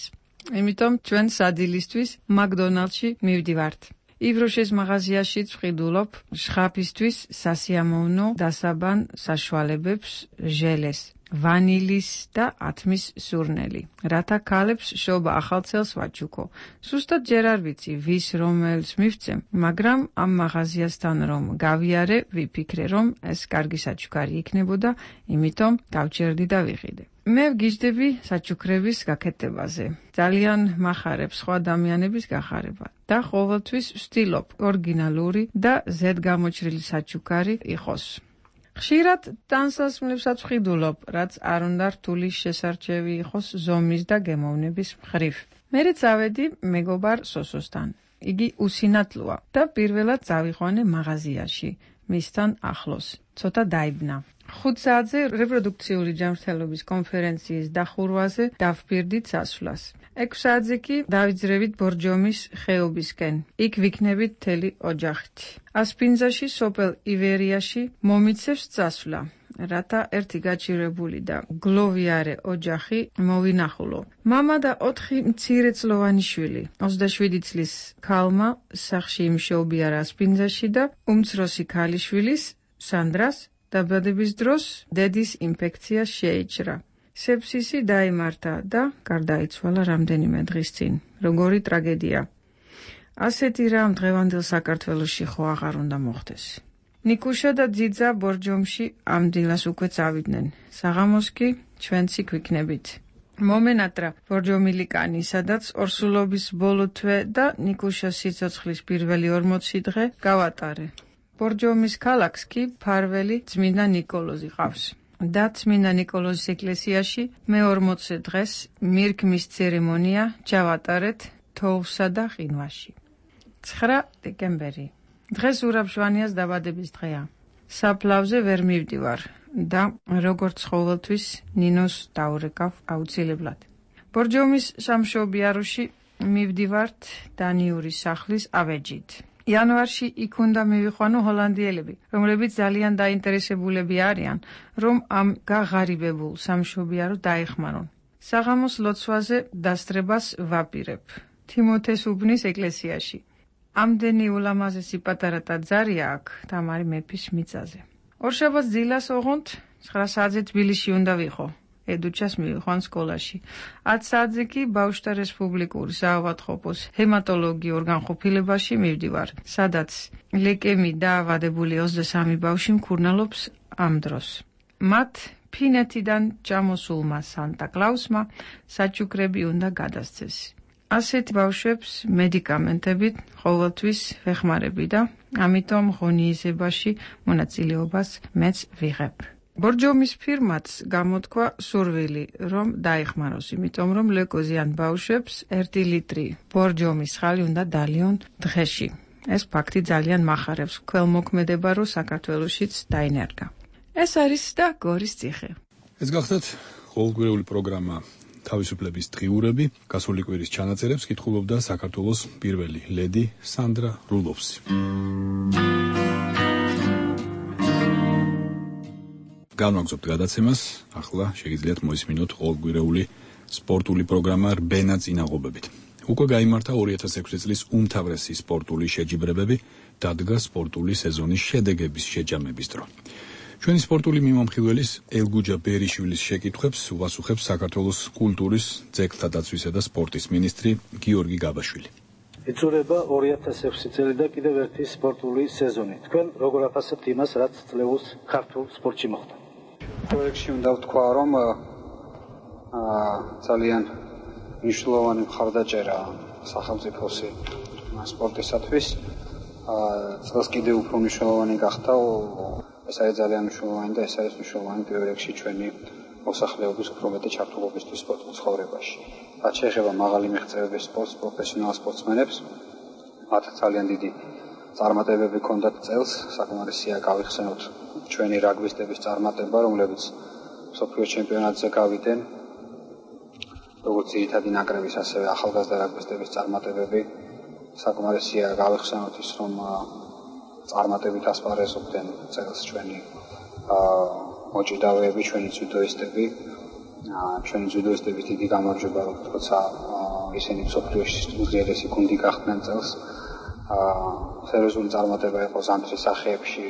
იმიტომ ჩვენ სადილისთვის მაკდონალდში მივდივართ. იბროშეს მაღაზიაში ვყიდულობ შხაფისთვის სასიამოვნო დასაბან საშუალებებს, ჟელეს, ვანილის და ათმის სურნელი. რათა ქალებს შობა ახალცელს ვაჩუქო. სუსტად ჯერ არ ვიცი ვის რომელს მივცემ, მაგრამ ამ მაღაზიასთან რომ გავიარე, ვიფიქრე რომ ეს კარგი საჩუქარი იქნებოდა, იმიტომ დავჭერდი და ვიყიდე. მე ვგიჟდები საჩუქრების გაკეთებაზე. ძალიან მახარებს სხვა ადამიანების გახარება და ყოველთვის ვცდილობ ორიგინალური და ზედგამოჭრილი საჩუქარი იყოს. ხშირად ტანსასმლებსაც ვყიდულობ, რაც არ უნდა რთული შესარჩევი იყოს ზომის და გემოვნების მხრივ. მერე წავედი მეგობარ სოსოსთან. იგი უსინათლოა და პირველად წავიყვანე მაღაზიაში, მისთან ახლოს. ცოტა დაიბნა. ხუთ საათზე რეპროდუქციული ჯანმრთელობის კონფერენციის დახურვაზე დავფირდით სასვლას. ექვს საათზე კი დავიძრევით ბორჯომის ხეობისკენ. იქ ვიქნებით მთელი ოჯახით. ასპინძაში, სოფელ ივერიაში მომიცევს წასვლა, რათა ერთი გაჭირებული და გლოვიარე ოჯახი მოვინახულო. მამა და ოთხი მცირეწლოვანი შვილი. ოცდაშვიდი წლის ქალმა სახლში იმშობიარა ასპინძაში და უმცროსი ქალიშვილის სანდრას დაბადების დროს დედის ინფექცია შეიჭრა. სეფსისი დაიმართა და გარდაიცვალა რამდენიმე დღის წინ. როგორი ტრაგედია. ასეთი რამ დღევანდელ საქართველოში ხო აღარ უნდა მოხდეს. ნიკუშა და ძიძა ბორჯომში ამ დილას უკვე წავიდნენ. საღამოს კი ჩვენც იქ ვიქნებით. მომენატრა ბორჯომილი კანი, სადაც ორსულობის ბოლო თვე და ნიკუშას სიცოცხლის პირველი ორმოცი დღე გავატარე. ბორჯომის ქალაქს კი ფარველი წმინდა ნიკოლოზი ყავს. და წმინდა ნიკოლოზის ეკლესიაში მეორმოცე დღეს მირქმის ცერემონია ჩავატარეთ თოვლსა და ყინვაში. ცხრა დეკემბერი. დღეს ურაბ-ჟვანიას დაბადების დღეა. საფლავზე ვერ მივდივარ და როგორც ყოველთვის ნინოს დაურეკავ აუცილებლად. ბორჯომის სამშობიაროში მივდივართ დანიურის სახლის ავეჯით. იანვარში იქ უნდა მივიყვანო ჰოლანდიელები, რომლებიც ძალიან დაინტერესებულები არიან, რომ ამ გაღარიბებულ სამშობიარო დაეხმარონ. საღამოს ლოცვაზე დასწრებას ვაპირებ თიმოთეს უბნის ეკლესიაში. ამდენი ულამაზესი პატარა ტაძარია აქ თამარი მეფის მიწაზე. ორშაბათს დილას ოღონდ ცხრა საათზე თბილისში უნდა ვიყო. ედუჩას მივიყვან სკოლაში. ათ საათზე კი ბავშვთა რესპუბლიკური საავადმყოფოს ჰემატოლოგიურ განყოფილებაში მივდივარ, სადაც ლეკემი დაავადებული ოცდასამი ბავშვი მკურნალობს ამ დროს. მათ ფინეთიდან ჩამოსულმა სანტა კლაუსმა საჩუქრები უნდა გადასცეს. ასეთ ბავშვებს მედიკამენტებით ყოველთვის ვეხმარები და ამიტომ ღონიისებაში მონაწილეობას მეც ვიღებ. ბორჯომის ფირმაც გამოთქვა სურვილი, რომ დაეხმაროს, იმიტომ რომ ლეკოზიან ბავშვებს ერთი ლიტრი ბორჯომის ხალი უნდა დალიონ დღეში. ეს ფაქტი ძალიან მახარებს ქველმოქმედება, რომ საქართველოშიც დაინერგა. ეს არის და გორის ციხე. ეს გახლდათ ყოველკვირეული პროგრამა თავისუფლების დღიურები. გასული კვირის ჩანაწერებს კითხულობდა საქართველოს პირველი ლედი სანდრა რულოვსი. განვაგრძობთ გადაცემას, ახლა შეგიძლიათ მოისმინოთ ყოველკვირეული სპორტული პროგრამა რბენა წინაღობებით. უკვე გაიმართა ორი ათას ექვსი წლის უმთავრესი სპორტული შეჯიბრებები, დადგა სპორტული სეზონის შედეგების შეჯამების დრო. ჩვენი სპორტული მიმომხილველის ელგუჯა ბერიშვილის შეკითხვებს უპასუხებს საქართველოს კულტურის, ძეგლთა დაცვისა და სპორტის მინისტრი გიორგი გაბაშვილი. იწურება ორი ათას ექვსი წელი და კიდევ ერთი სპორტული სეზონი. თქვენ როგორ აფასებთ იმას, რაც წლეულს ქართულ სპორტში მოხდა? პროექტში უნდა ვთქვა, რომ ძალიან მნიშვნელოვანი მხარდაჭერა სახელმწიფოსი სპორტისათვის. წელს კიდევ უფრო მნიშვნელოვანი გახდა. ეს არის ძალიან მნიშვნელოვანი და ეს არის მნიშვნელოვანი პირველ რიგში ჩვენი მოსახლეობის უფრო მეტი ჩართულობისთვის სპორტულ ცხოვრებაში. რაც შეეხება მაღალი მიღწევების სპორტს, პროფესიონალ სპორტსმენებს, მათ ძალიან დიდი წარმატებები ჰქონდათ წელს, საკმარისია გავიხსენოთ ჩვენი რაგბისტების წარმატება, რომლებიც მსოფლიო ჩემპიონატზე გავიდნენ, როგორც ძირითადი ნაკრების, ასევე ახალგაზრდა რაგბისტების წარმატებები. საკმარისია გავიხსენოთ ის, რომ წარმატებით ასპარეზობდნენ წელს ჩვენი მოჭიდავეები, ჩვენი ძუდოისტები. ჩვენი ძუდოისტების დიდი გამარჯვება, როცა ისინი მსოფლიოში უძლიერესი გუნდი გახდნენ წელს. სერიოზული წარმატება იყო ზამთრის სახეებში,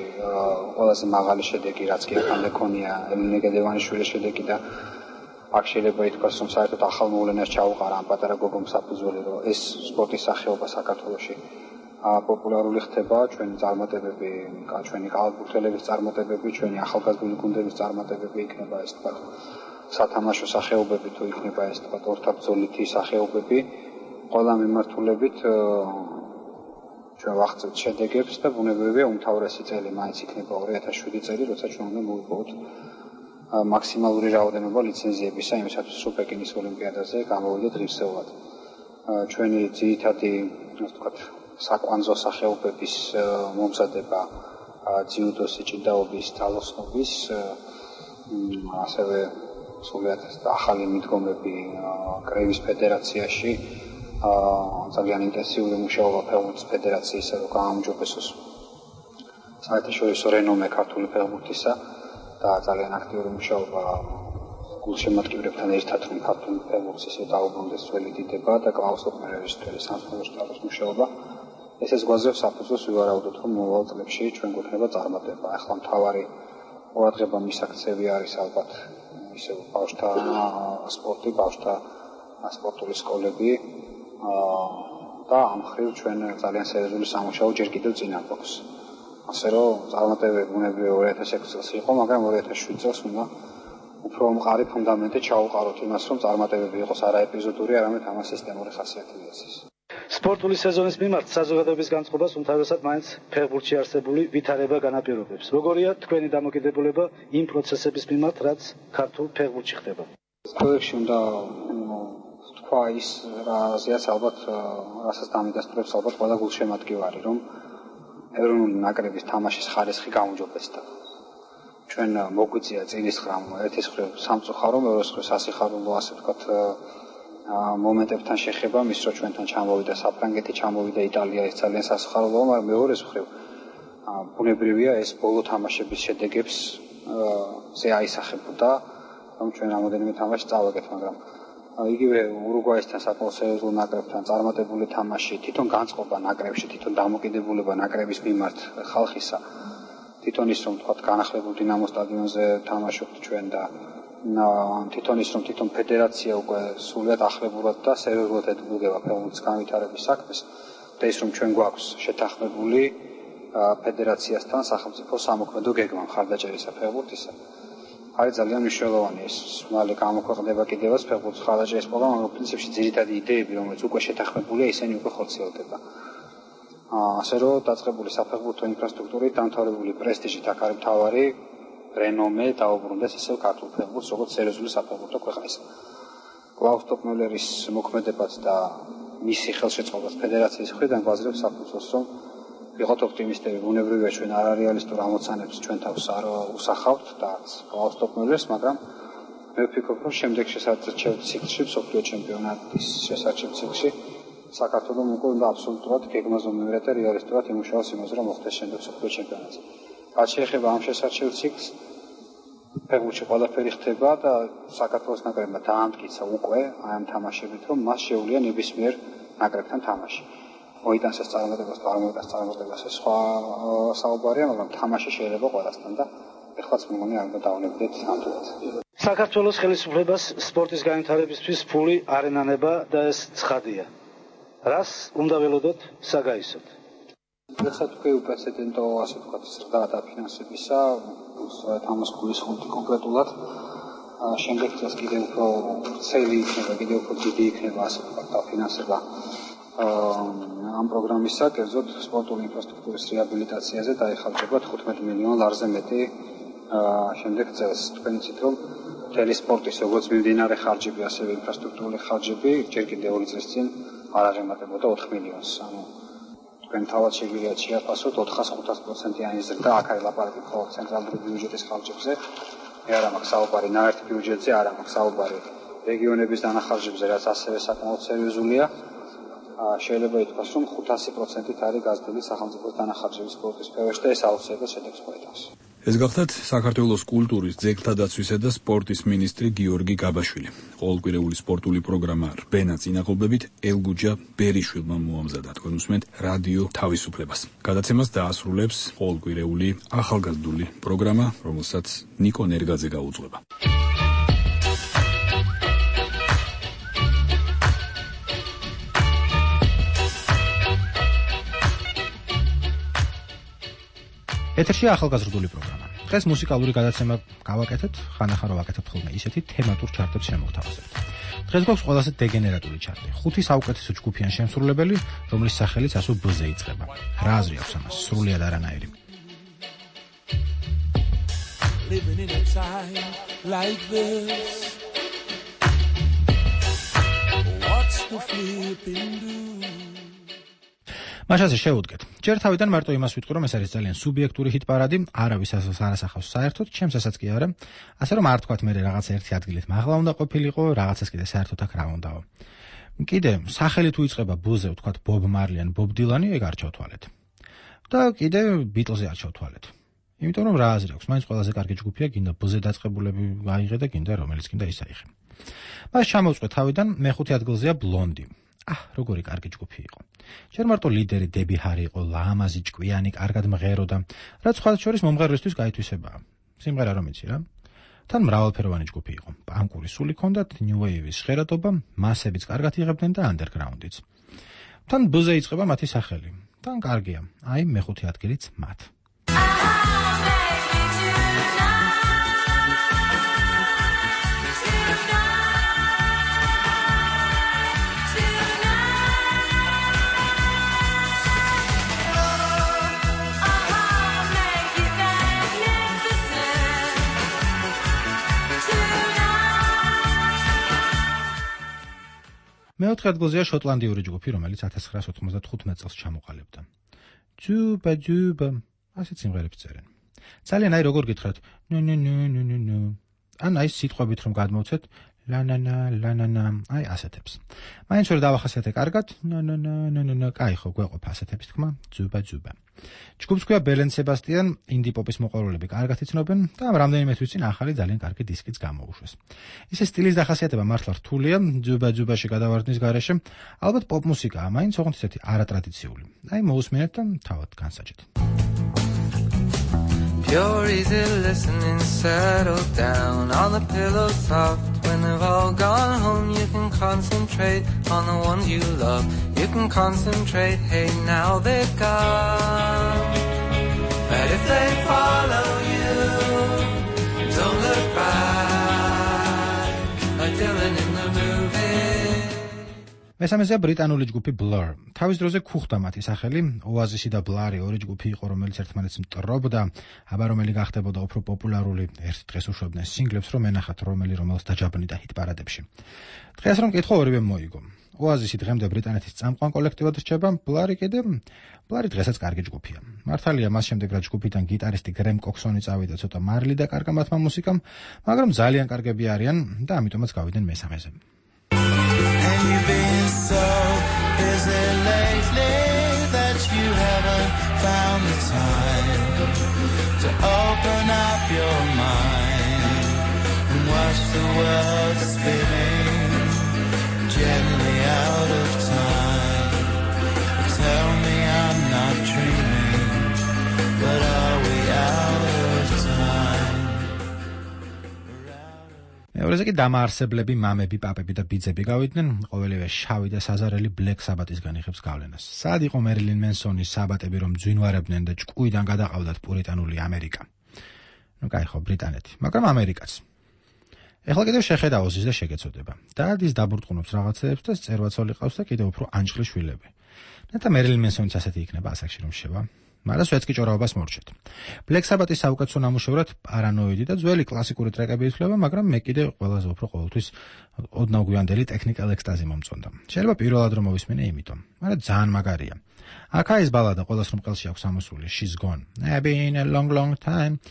ყველაზე მაღალი შედეგი, რაც კი აქამდე ქონია, ელენე გედევანიშვილის შედეგი და აქ შეიძლება ითქვას, რომ საერთოდ ახალ მოვლენას ჩაუყარა ამ პატარა გოგო მსაფუძველი, რომ ეს სპორტის სახეობა საქართველოში პოპულარული ხდება, ჩვენი წარმატებები, ჩვენი კალათბურთელების წარმატებები, ჩვენი ახალგაზრდული გუნდების წარმატებები იქნება ეს თქვა სათამაშო სახეობები თუ იქნება ეს თქვა ორთაბრძოლითი სახეობები, ყველა მიმართულებით ჩვენ ვახცევთ შედეგებს და ბუნებრივია უმთავრესი წელი მაინც იქნება ორი ათას შვიდი წელი, როცა ჩვენ უნდა მოვიპოვოთ მაქსიმალური რაოდენობა ლიცენზიებისა იმისათვის, რომ პეკინის ოლიმპიადაზე გამოვიდეთ ღირსეულად. ჩვენი ძირითადი, ასე ვთქვათ, საკვანძო სახეობების მომზადება, ძიუდოს, ჭიდაობის, თალოსნობის, ასევე სულიად ახალი მიდგომები კრევის ფედერაციაში, ძალიან ინტენსიური მუშაობა ფეხბურთის ფედერაციისა, რომ გაამჯობესოს საერთაშორისო რენომე ქართული ფეხბურთისა და ძალიან აქტიური მუშაობა გულშემატკივრებთან ერთად, რომ ქართული ფეხბურთის ისე დაუბრუნდეს ძველი დიდება და კლაუს ოპერერის თელის სამხედრო შტაბის მუშაობა. ესეც გვაძლევს საფუძველს ვივარაუდოთ, რომ მომავალ წლებში ჩვენ გვექნება წარმატება. ახლა მთავარი ყურადღება მისაქცევი არის ალბათ ისე ბავშვთა სპორტი, ბავშვთა სპორტული სკოლები და ამ ხრივ ჩვენ ძალიან სერიოზული სამუშაო ჯერ კიდევ წინ გვაქვს. ასე რომ წარმატებები ბუნებრივია ორი ათას ექვსი წელს იყო, მაგრამ ორი ათას შვიდ წელს უნდა უფრო მყარი ფუნდამენტი ჩაუყაროთ იმას, რომ წარმატებები იყოს არა ეპიზოდური, არამედ ამას სისტემური ხასიათი მიეცეს. სპორტული სეზონის მიმართ საზოგადოების განწყობას უმთავრესად მაინც ფეხბურთში არსებული ვითარება განაპირობებს. როგორია თქვენი დამოკიდებულება იმ პროცესების მიმართ, რაც ქართულ ფეხბურთში ხდება? პროექტში უნდა თქვა ის, რაზეც ალბათ რასაც დამიდასტურებს ალბათ ყველა გულშემატკივარი, რომ ეროვნული ნაკრების თამაშის ხარისხი გაუმჯობესდა. ჩვენ მოგვიწია წილისხრამ ერთის მხრივ სამწუხარო, მეორეს მხრივ სასიხარულო, ასე ვთქვათ, მომენტებთან შეხება, მის რო ჩვენთან ჩამოვიდა საფრანგეთი, ჩამოვიდა იტალია, ეს ძალიან სასიხარულოა, მაგრამ მეორეს მხრივ ბუნებრივია ეს ბოლო თამაშების შედეგებს ზე აისახებოდა, რომ ჩვენ რამოდენიმე თამაში წავაგეთ, მაგრამ იგივე ურუგვაისთან საკმაოდ სერიოზულ ნაკრებთან წარმატებული თამაში, თვითონ განწყობა ნაკრებში, თვითონ დამოკიდებულება ნაკრების მიმართ ხალხისა, თვითონ ის რომ თქვა განახლებულ დინამო სტადიონზე თამაშობთ ჩვენ და თვითონ ის რომ თვითონ ფედერაცია უკვე სულად ახლებურად და სერიოზულად ედგება ფეხბურთის განვითარების საქმეს და ის რომ ჩვენ გვაქვს შეთანხმებული ფედერაციასთან სახელმწიფო სამოქმედო გეგმა მხარდაჭერისა ფეხბურთისა. არის ძალიან მნიშვნელოვანი ეს მალე გამოქვეყნდება კიდევაც ფეხბურთის მხარდაჭერის პროგრამა, მაგრამ პრინციპში ძირითადი იდეები, რომელიც უკვე შეთანხმებულია, ისინი უკვე ხორციელდება. ასე რომ დაწყებული საფეხბურთო ინფრასტრუქტურით, დამთავრებული პრესტიჟით აქ არის მთავარი რენომე დაუბრუნდეს ისევ ქართულ ფეხბურთს, როგორც სერიოზული საფეხბურთო ქვეყნის. კლაუს ტოპმელერის მოქმედებაც და მისი ხელშეწყობას ფედერაციის მხრიდან გვაძლევს საფუძველს, რომ ვიყოთ ოპტიმისტები, ბუნებრივია ჩვენ არარეალისტურ ამოცანებს ჩვენ თავს არ უსახავთ და კლაუს ტოპმელერს, მაგრამ მე ვფიქრობ, რომ შემდეგ შესაძლოა ციკლში, მსოფლიო ჩემპიონატის შესაძლოა ციკლში საქართველოს უკვე უნდა აბსოლუტურად გეგმაზე მივერეთ და რეალისტურად იმუშაოს იმაზე, რომ მოხდეს შემდეგ მსოფლიო ჩემპიონატი. რაც შეეხება ამ შესაძლოა ციკლს, ფეხბურთში ყველაფერი ხდება და საქართველოს ნაკრებმა დაამტკიცა უკვე ამ თამაშებით, რომ მას შეუძლია ნებისმიერ ნაკრებთან თამაში. მოიტანს ეს წარმატებას, წარმოიტანს წარმატებას ეს სხვა საუბარია, მაგრამ თამაში შეიძლება ყველასთან და ეხლაც მგონი არ უნდა დავნებდეთ ამდენად. საქართველოს ხელისუფლებას სპორტის განვითარებისთვის ფული არ ენანება და ეს ცხადია. რას უნდა ველოდოთ საგაისოდ? ეხლა თქვი უპრეცედენტო, ასე ვთქვათ, ზრდა დაფინანსებისა, სწორედ ამას გულისხმობთ კონკრეტულად. შემდეგ წელს კიდევ უფრო ვრცელი იქნება, კიდევ უფრო დიდი იქნება, ასე ვთქვათ, დაფინანსება ამ პროგრამისა, კერძოდ სპორტული ინფრასტრუქტურის რეაბილიტაციაზე დაიხარჯება თხუთმეტ მილიონ ლარზე მეტი შემდეგ წელს. თქვენ იცით, რომ მთელი სპორტის როგორც მიმდინარე ხარჯები, ასევე ინფრასტრუქტურული ხარჯები ჯერ კიდევ ორი წლის წინ არ აღემატებოდა ოთხ მილიონს. ანუ თქვენ თავად შეგვიძლიათ შეაფასოთ ოთხას ხუთას პროცენტიანი ზრდა, აქ არის ლაპარაკი მხოლოდ ცენტრალური ბიუჯეტის ხარჯებზე. მე არ მაქვს საუბარი ნაერთი ბიუჯეტზე, არ მაქვს საუბარი რეგიონების დანახარჯებზე, რაც ასევე საკმაოდ სერიოზულია. შეიძლება ითქვას, რომ ხუთასი პროცენტით არის გაზრდილი სახელმწიფოს დანახარჯების სპორტის სფეროში და ეს აუცილებლად შედეგს მოიტანს. ეს გახლავთ საქართველოს კულტურის, ძეგლთა დაცვისა და სპორტის მინისტრი გიორგი გაბაშვილი. ყოველკვირეული სპორტული პროგრამა რბენა წინაღობებით ელგუჯა ბერიშვილმა მოამზადა. თქვენ უსმენთ რადიო თავისუფლებას. გადაცემას დაასრულებს ყოველკვირეული ახალგაზრდული პროგრამა, რომელსაც ნიკო ნერგაძე გაუძღვება. ეთერშია ახალგაზრდული პროგრამა. დღეს მუსიკალური გადაცემა გავაკეთეთ, ხანახან რო ვაკეთებთ ხოლმე ისეთი თემატურ ჩარტებს შემოგთავაზებთ. დღეს გვაქვს ყველაზე დეგენერატული ჩარტი. ხუთი საუკეთესო ჯგუფიან შემსრულებელი, რომლის სახელიც ასო ბ-ზე იწყება. რა აზრი აქვს ამას? სრულიად არანაირი. Living in a time like this. What's the flipping do? მაშასე შევუდგეთ. ჯერ თავიდან მარტო იმას ვიტყვი, რომ ეს არის ძალიან სუბიექტური ჰიტ-პარადი, არავის ასოს არ ასახავს საერთოდ, ჩემსაც კი არა. ასე რომ არ თქვათ მე რაღაცა ერთი ადგილით მაღლა უნდა ყოფილიყო, რაღაცას კიდე საერთოდ აქ რა უნდაო. კიდე სახელი თუ იწყება ბ-ზე, ვთქვათ ბობ მარლი ან ბობ დილანი, ეგ არ ჩავთვალეთ. და კიდე ბიტლზე არ ჩავთვალეთ. იმიტომ რომ რა აზრი აქვს, მაინც ყველაზე კარგი ჯგუფია, გინდა ბ-ზე დაწყებულები აიღე და გინდა რომელიც გინდა ის აიღე. მას ჩამოვწყვე თავიდან, მეხუთე ადგილზეა ბლონდი. აჰ, როგორი კარგი ჯგუფი იყო. ჯერ მარტო ლიდერი დები ჰარი იყო, ლამაზი, ჭკვიანი, კარგად მღეროდა, რაც სხვა შორის მომღერლისთვის გაითვისებაა. სიმღერა რომ იცი რა. თან მრავალფეროვანი ჯგუფი იყო. პანკური სული ჰქონდათ, ნიუ ვეივის ჟღერადობა, მასებიც კარგად იღებდნენ და ანდერგრაუნდიც. თან ბ-ზე იწყება მათი სახელი. თან კარგია. აი მეხუთე ადგილიც მათ. მეოთხე ადგილზეა შოტლანდიური ჯგუფი, რომელიც ათას ცხრაას ოთხმოცდათხუთმეტ წელს ჩამოყალიბდა. ჯუბა ჯუბა, ასეთ სიმღერებს წერენ. ძალიან აი როგორ გითხრათ, ნუ ნუ ნუ ნუ ნუ ნუ. ან აი სიტყვებით რომ გადმოვცეთ, ლანანა ლანანა, აი ასეთებს. მაინც ვერ დავახასიათე კარგად, ნანანა ნანანა, კაი ხო გვეყოფა ასეთების თქმა, ჯუბა ჯუბა. ჯგუფს ქვია ბელენ სებასტიან, ინდი პოპის მოყვარულები კარგად იცნობენ და ამ რამდენიმე თვის წინ ახალი ძალიან კარგი დისკიც გამოუშვეს. ისე სტილის დახასიათება მართლა რთულია, ჯუბა ჯუბაში გადავარდნის გარეშე, ალბათ პოპ მუსიკაა, მაინც ოღონდ ისეთი არატრადიციული. აი მოусმინეთ და თავად განსაჭეთ. You're easy listening, settle down on the pillow soft. When they've all gone home, you can concentrate on the ones you love. You can concentrate, hey, now they're gone. But if they follow you, don't look back, like Dylan in the movie. მესამეზე ბრიტანული ჯგუფი Blur. თავის დროზე ქუხდა მათი სახელი, Oasis და Blur ორი ჯგუფი იყო, რომელიც ერთმანეთს მტრობდა, აბა რომელი გახდებოდა უფრო პოპულარული, ერთ დღეს უშვებდნენ სინგლებს, რომ ენახათ რომელი რომელს დაჯაბნიდა ჰიტ-პარადებში. დღეს რომ მკითხო, ორივე მოიგო. Oasis დღემდე ბრიტანეთის წამყვან კოლექტივად რჩება, Blur კიდე Blur დღესაც კარგი ჯგუფია. მართალია მას შემდეგ რაც ჯგუფიდან გიტარისტი გრემ კოქსონი წავიდა, ცოტა მარილი და კარგა მათმა მუსიკამ, მაგრამ ძალიან კარგები არიან და ამიტომაც გავიდნენ მესამეზე. And you've been so busy lately that you haven't found the time to open up your mind and watch the world spinning gently out of time. Tell me I'm not dreaming, but are we out of time? მეორეზე კი დამაარსებლები, მამები, პაპები და ბიძები გავიდნენ, ყოველივე შავი და საზარელი Black Sabbath-ისგან იღებს გავლენას. სად იყო Marilyn Manson-ის საბატები, რომ ძვინვარებდნენ და ჭკუიდან გადაყავდათ პურიტანული ამერიკა? ნუ კაი ხო, ბრიტანეთი, მაგრამ ამერიკაც. ეხლა კიდევ შეხედა ოზის და შეგეცოდება. დადის დაბრტყუნობს რაღაცეებს და წერვაცოლი ყავს და კიდევ უფრო ანჭხლი შვილები. ნეტა Marilyn Manson-იც ასეთი იქნება ასაკში რომ შევა. მაგრამ სვეტსკი ჭორაობას მორჩეთ. Black Sabbath-ის საუკეთესო ნამუშევრად პარანოიდი და ძველი კლასიკური ტრეკები ითვლება, მაგრამ მე კიდე ყველაზე უფრო ყოველთვის ოდნავ გვიანდელი ტექნიკალ ექსტაზი მომწონდა. შეიძლება პირველად რომ მოვისმენე იმიტომ, მაგრამ ძალიან მაგარია. აქა ის ბალადა ყველას რომ ყელში აქვს ამოსული, She's Gone. I've been a long long time.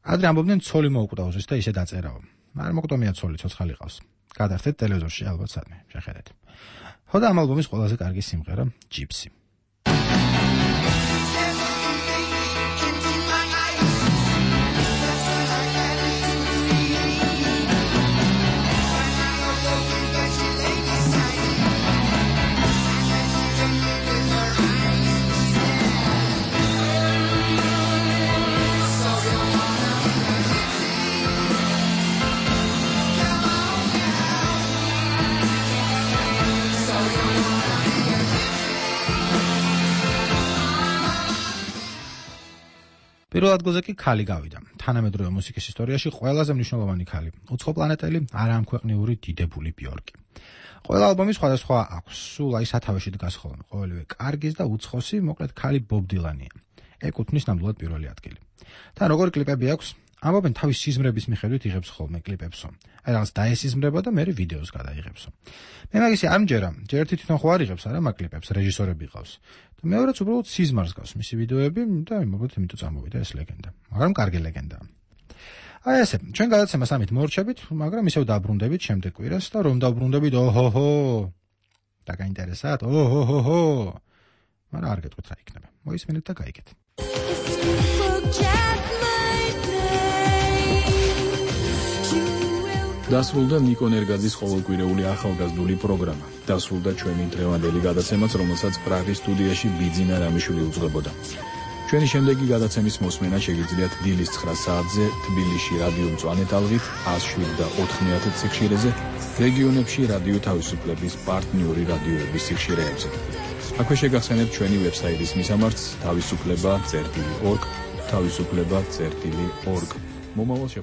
ადრე ამბობდნენ ცოლი მოუკვდა ოზის და ისე დაწერაო. მაგრამ მოკვდომია ცოლი, ცოცხალი ყავს. გადართეთ ტელევიზორში ალბათ სადმე, შეხედეთ. ხო და ამ ალბომის ყველაზე კარგი სიმღერა Gypsy. პირველ ადგილზე კი ქალი გავიდა. თანამედროვე მუსიკის ისტორიაში ყველაზე მნიშვნელოვანი ქალი, უცხო პლანეტელი, არაამქვეყნიური დიდებული ბიორკი. ყველა ალბომი სხვადასხვა აქვს, სულ აი სათავეში დგას ხოლმე, ყოველივე კარგის და უცხოსი, მოკლედ ქალი Bob Dylan-ია. ეკუთვნის ნამდვილად პირველი ადგილი. თან როგორი კლიპები აქვს? ამბობენ თავის სიზმრების მიხედვით იღებს ხოლმე კლიპებსო. აი რაღაც დაესიზმრება და მე ვიდეოს გადაიღებსო. მე მაგისი არ მჯერა, ჯერ ერთი თვითონ ხო არ იღებს არა მაგ კლიპებს, რეჟისორები ყავს. და მეორეც უბრალოდ სიზმარს გავს მისი ვიდეოები და იმობთ იმიტომ წამოვიდა ეს ლეგენდა. მაგრამ კარგი ლეგენდაა. აი ესე, ჩვენ გადაცემას ამით მორჩებით, მაგრამ ისევ დაბრუნდებით შემდეგ კვირას და რომ დაბრუნდებით, ოჰოჰო. და გაინტერესათ, ოჰოჰო. მაგრამ არ გეტყვით რა იქნება. მოისმენთ და გაიგეთ. დასრულდა ნიკო ნერგაძის ყოველკვირეული ახალგაზრდული პროგრამა. დასრულდა ჩვენი დღევანდელი გადაცემაც, რომელსაც პრაღის სტუდიაში ბიძინა რამიშვილი უძღვებოდა. ჩვენი შემდეგი გადაცემის მოსმენა შეგიძლიათ დილის ცხრა საათზე თბილისში რადიო მწვანე ტალღით ათას შვიდ და ოთხმოცდაათი სიხშირეზე, რეგიონებში რადიო თავისუფლების პარტნიორი რადიოების სიხშირეებზე. აქვე შეგახსენებთ ჩვენი ვებსაიტის მისამართს თავისუფლება წერტილი ორგ თავისუფლება წერტილი ორგ მომავალ